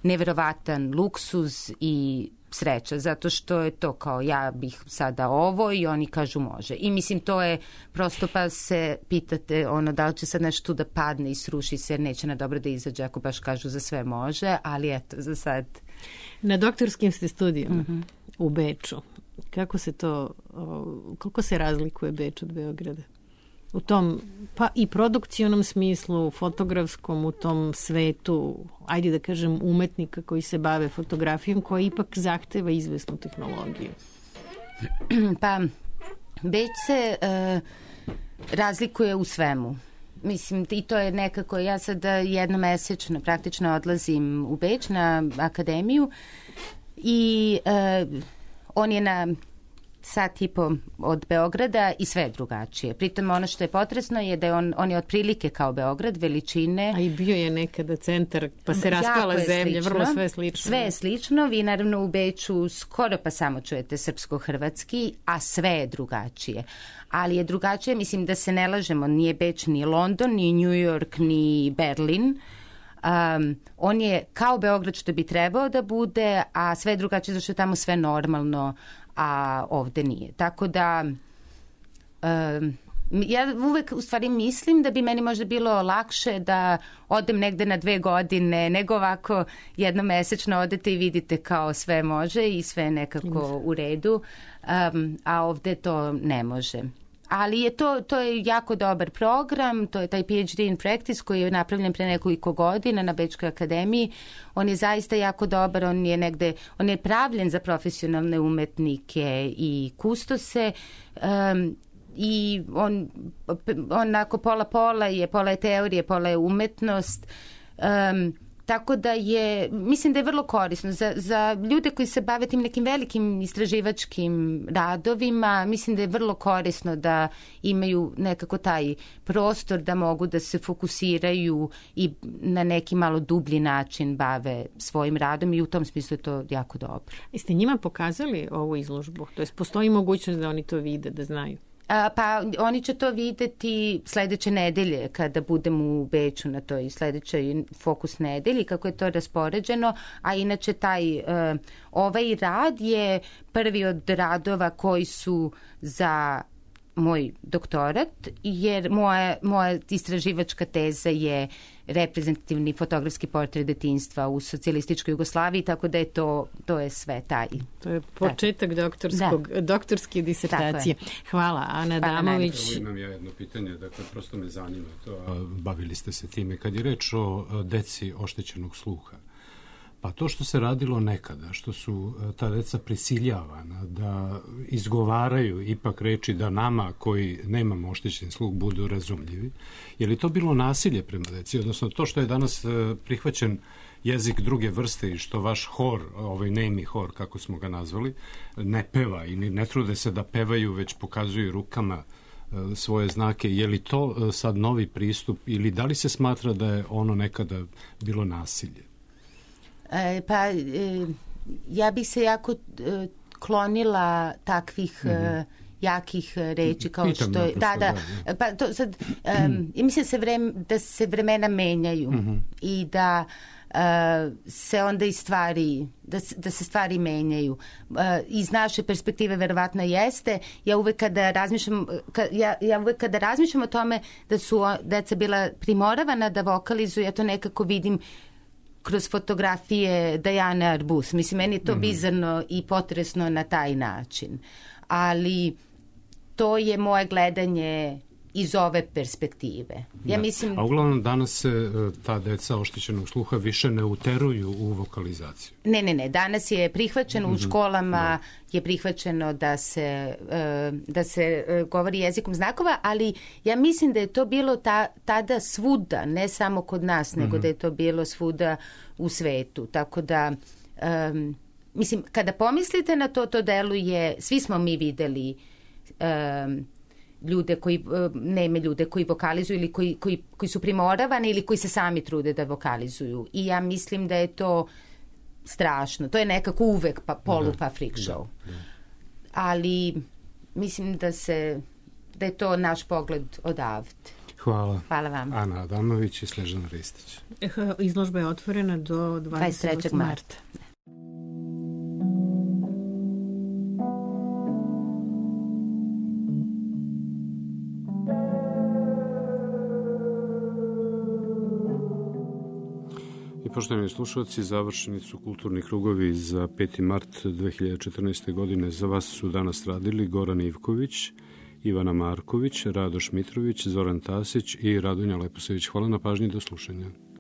neverovatan luksuz i sreća, zato što je to kao ja bih sada ovo i oni kažu može. I mislim to je prosto pa se pitate ono da li će sad nešto tu da padne i sruši se jer neće na dobro da izađe ako baš kažu za sve može, ali eto za sad. Na doktorskim ste studijama mm-hmm. u Beču. Kako se to, koliko se razlikuje Beč od Beograda? U tom, pa i produkcionom smislu, fotografskom, u tom svetu, ajde da kažem, umetnika koji se bave fotografijom, koja ipak zahteva izvesnu tehnologiju. Pa, Beč se uh, razlikuje u svemu. Mislim, i to je nekako, ja sad jednomesečno praktično odlazim u Beč na akademiju i uh, on je na sat i po od Beograda i sve je drugačije. Pritom ono što je potresno je da je on, on je otprilike kao Beograd, veličine. A i bio je nekada centar, pa se raspala zemlja, vrlo sve slično. Sve je slično, vi naravno u Beču skoro pa samo čujete srpsko-hrvatski, a sve je drugačije. Ali je drugačije, mislim da se ne lažemo, nije Beč ni London, ni New York, ni Berlin. Um, on je kao Beograd što bi trebao da bude, a sve je drugačije zašto je tamo sve normalno, a ovde nije. Tako da um, ja uvek u stvari mislim da bi meni možda bilo lakše da odem negde na dve godine nego ovako jednomesečno odete i vidite kao sve može i sve nekako u redu, um, a ovde to ne može. Ali je to, to je jako dobar program, to je taj P H D in Practice koji je napravljen pre nekoliko godina na Bečkoj akademiji. On je zaista jako dobar, on je negde, on je pravljen za profesionalne umetnike i kustose um, i on onako pola-pola je, pola je teorije, pola je umetnost. Um, Tako da je, mislim da je vrlo korisno za, za ljude koji se bave tim nekim velikim istraživačkim radovima, mislim da je vrlo korisno da imaju nekako taj prostor da mogu da se fokusiraju i na neki malo dublji način bave svojim radom i u tom smislu je to jako dobro. Jeste njima pokazali ovu izložbu? To jest postoji mogućnost da oni to vide, da znaju? A, pa oni će to videti sledeće nedelje kada budem u Beču na toj sledećoj fokus nedelji, kako je to raspoređeno, a inače taj uh, ovaj rad je prvi od radova koji su za moj doktorat, jer moja, moja istraživačka teza je reprezentativni fotografski portret detinjstva u socijalističkoj Jugoslaviji, tako da je to, to je sve taj. To je početak doktorskog, da. doktorske disertacije. Hvala, Ana Adamović. Imam ja jedno pitanje, dakle, prosto me zanima to, a bavili ste se time. Kad je reč o deci oštećenog sluha, pa to što se radilo nekada, što su ta deca prisiljavana da izgovaraju ipak reči da nama koji nemamo oštećen sluh budu razumljivi, je li to bilo nasilje prema deci? Odnosno to što je danas prihvaćen jezik druge vrste i što vaš hor, ovaj nemi hor, kako smo ga nazvali, ne peva i ne trude se da pevaju, već pokazuju rukama svoje znake. Je li to sad novi pristup ili da li se smatra da je ono nekada bilo nasilje? E, pa e, ja bih se jako e, klonila takvih mm-hmm. e, jakih reči kao Pitam što je da, da, da. Pa to sad e, mm. mislim se vrem, da se vremena menjaju mm-hmm. i da e, se onda i stvari da, da se stvari menjaju. E, iz naše perspektive verovatno jeste. Ja uvek kada razmišljam ka, ja, ja uvek kada razmišljam o tome da su deca bila primoravana da vokalizuju, ja to nekako vidim kroz fotografije Dajane Arbus. Mislim, meni je to mm-hmm. bizarno i potresno na taj način. Ali to je moje gledanje iz ove perspektive. Ja da. mislim... A uglavnom danas se ta deca oštećenog sluha više ne uteruju u vokalizaciju. Ne, ne, ne. Danas je prihvaćeno mm-hmm. u školama, da. je prihvaćeno da se, da se govori jezikom znakova, ali ja mislim da je to bilo ta, tada svuda, ne samo kod nas, nego mm-hmm. da je to bilo svuda u svetu. Tako da... Um, mislim, kada pomislite na to, to deluje, svi smo mi videli um, ljude koji, neme ljude koji vokalizuju ili koji, koji, koji su primoravani ili koji se sami trude da vokalizuju. I ja mislim da je to strašno. To je nekako uvek pa, polupa freak show. Da, da. Ali mislim da se, da je to naš pogled odavde. Hvala. Hvala vam. Ana Adamović i Snežana Ristić. Izložba je otvorena do dvadeset trećeg marta. Poštovani slušalci, završeni su kulturni krugovi za peti mart dve hiljade četrnaeste. godine. Za vas su danas radili Goran Ivković, Ivana Marković, Radoš Mitrović, Zoran Tasić i Radonja Leposević. Hvala na pažnji, do slušanja.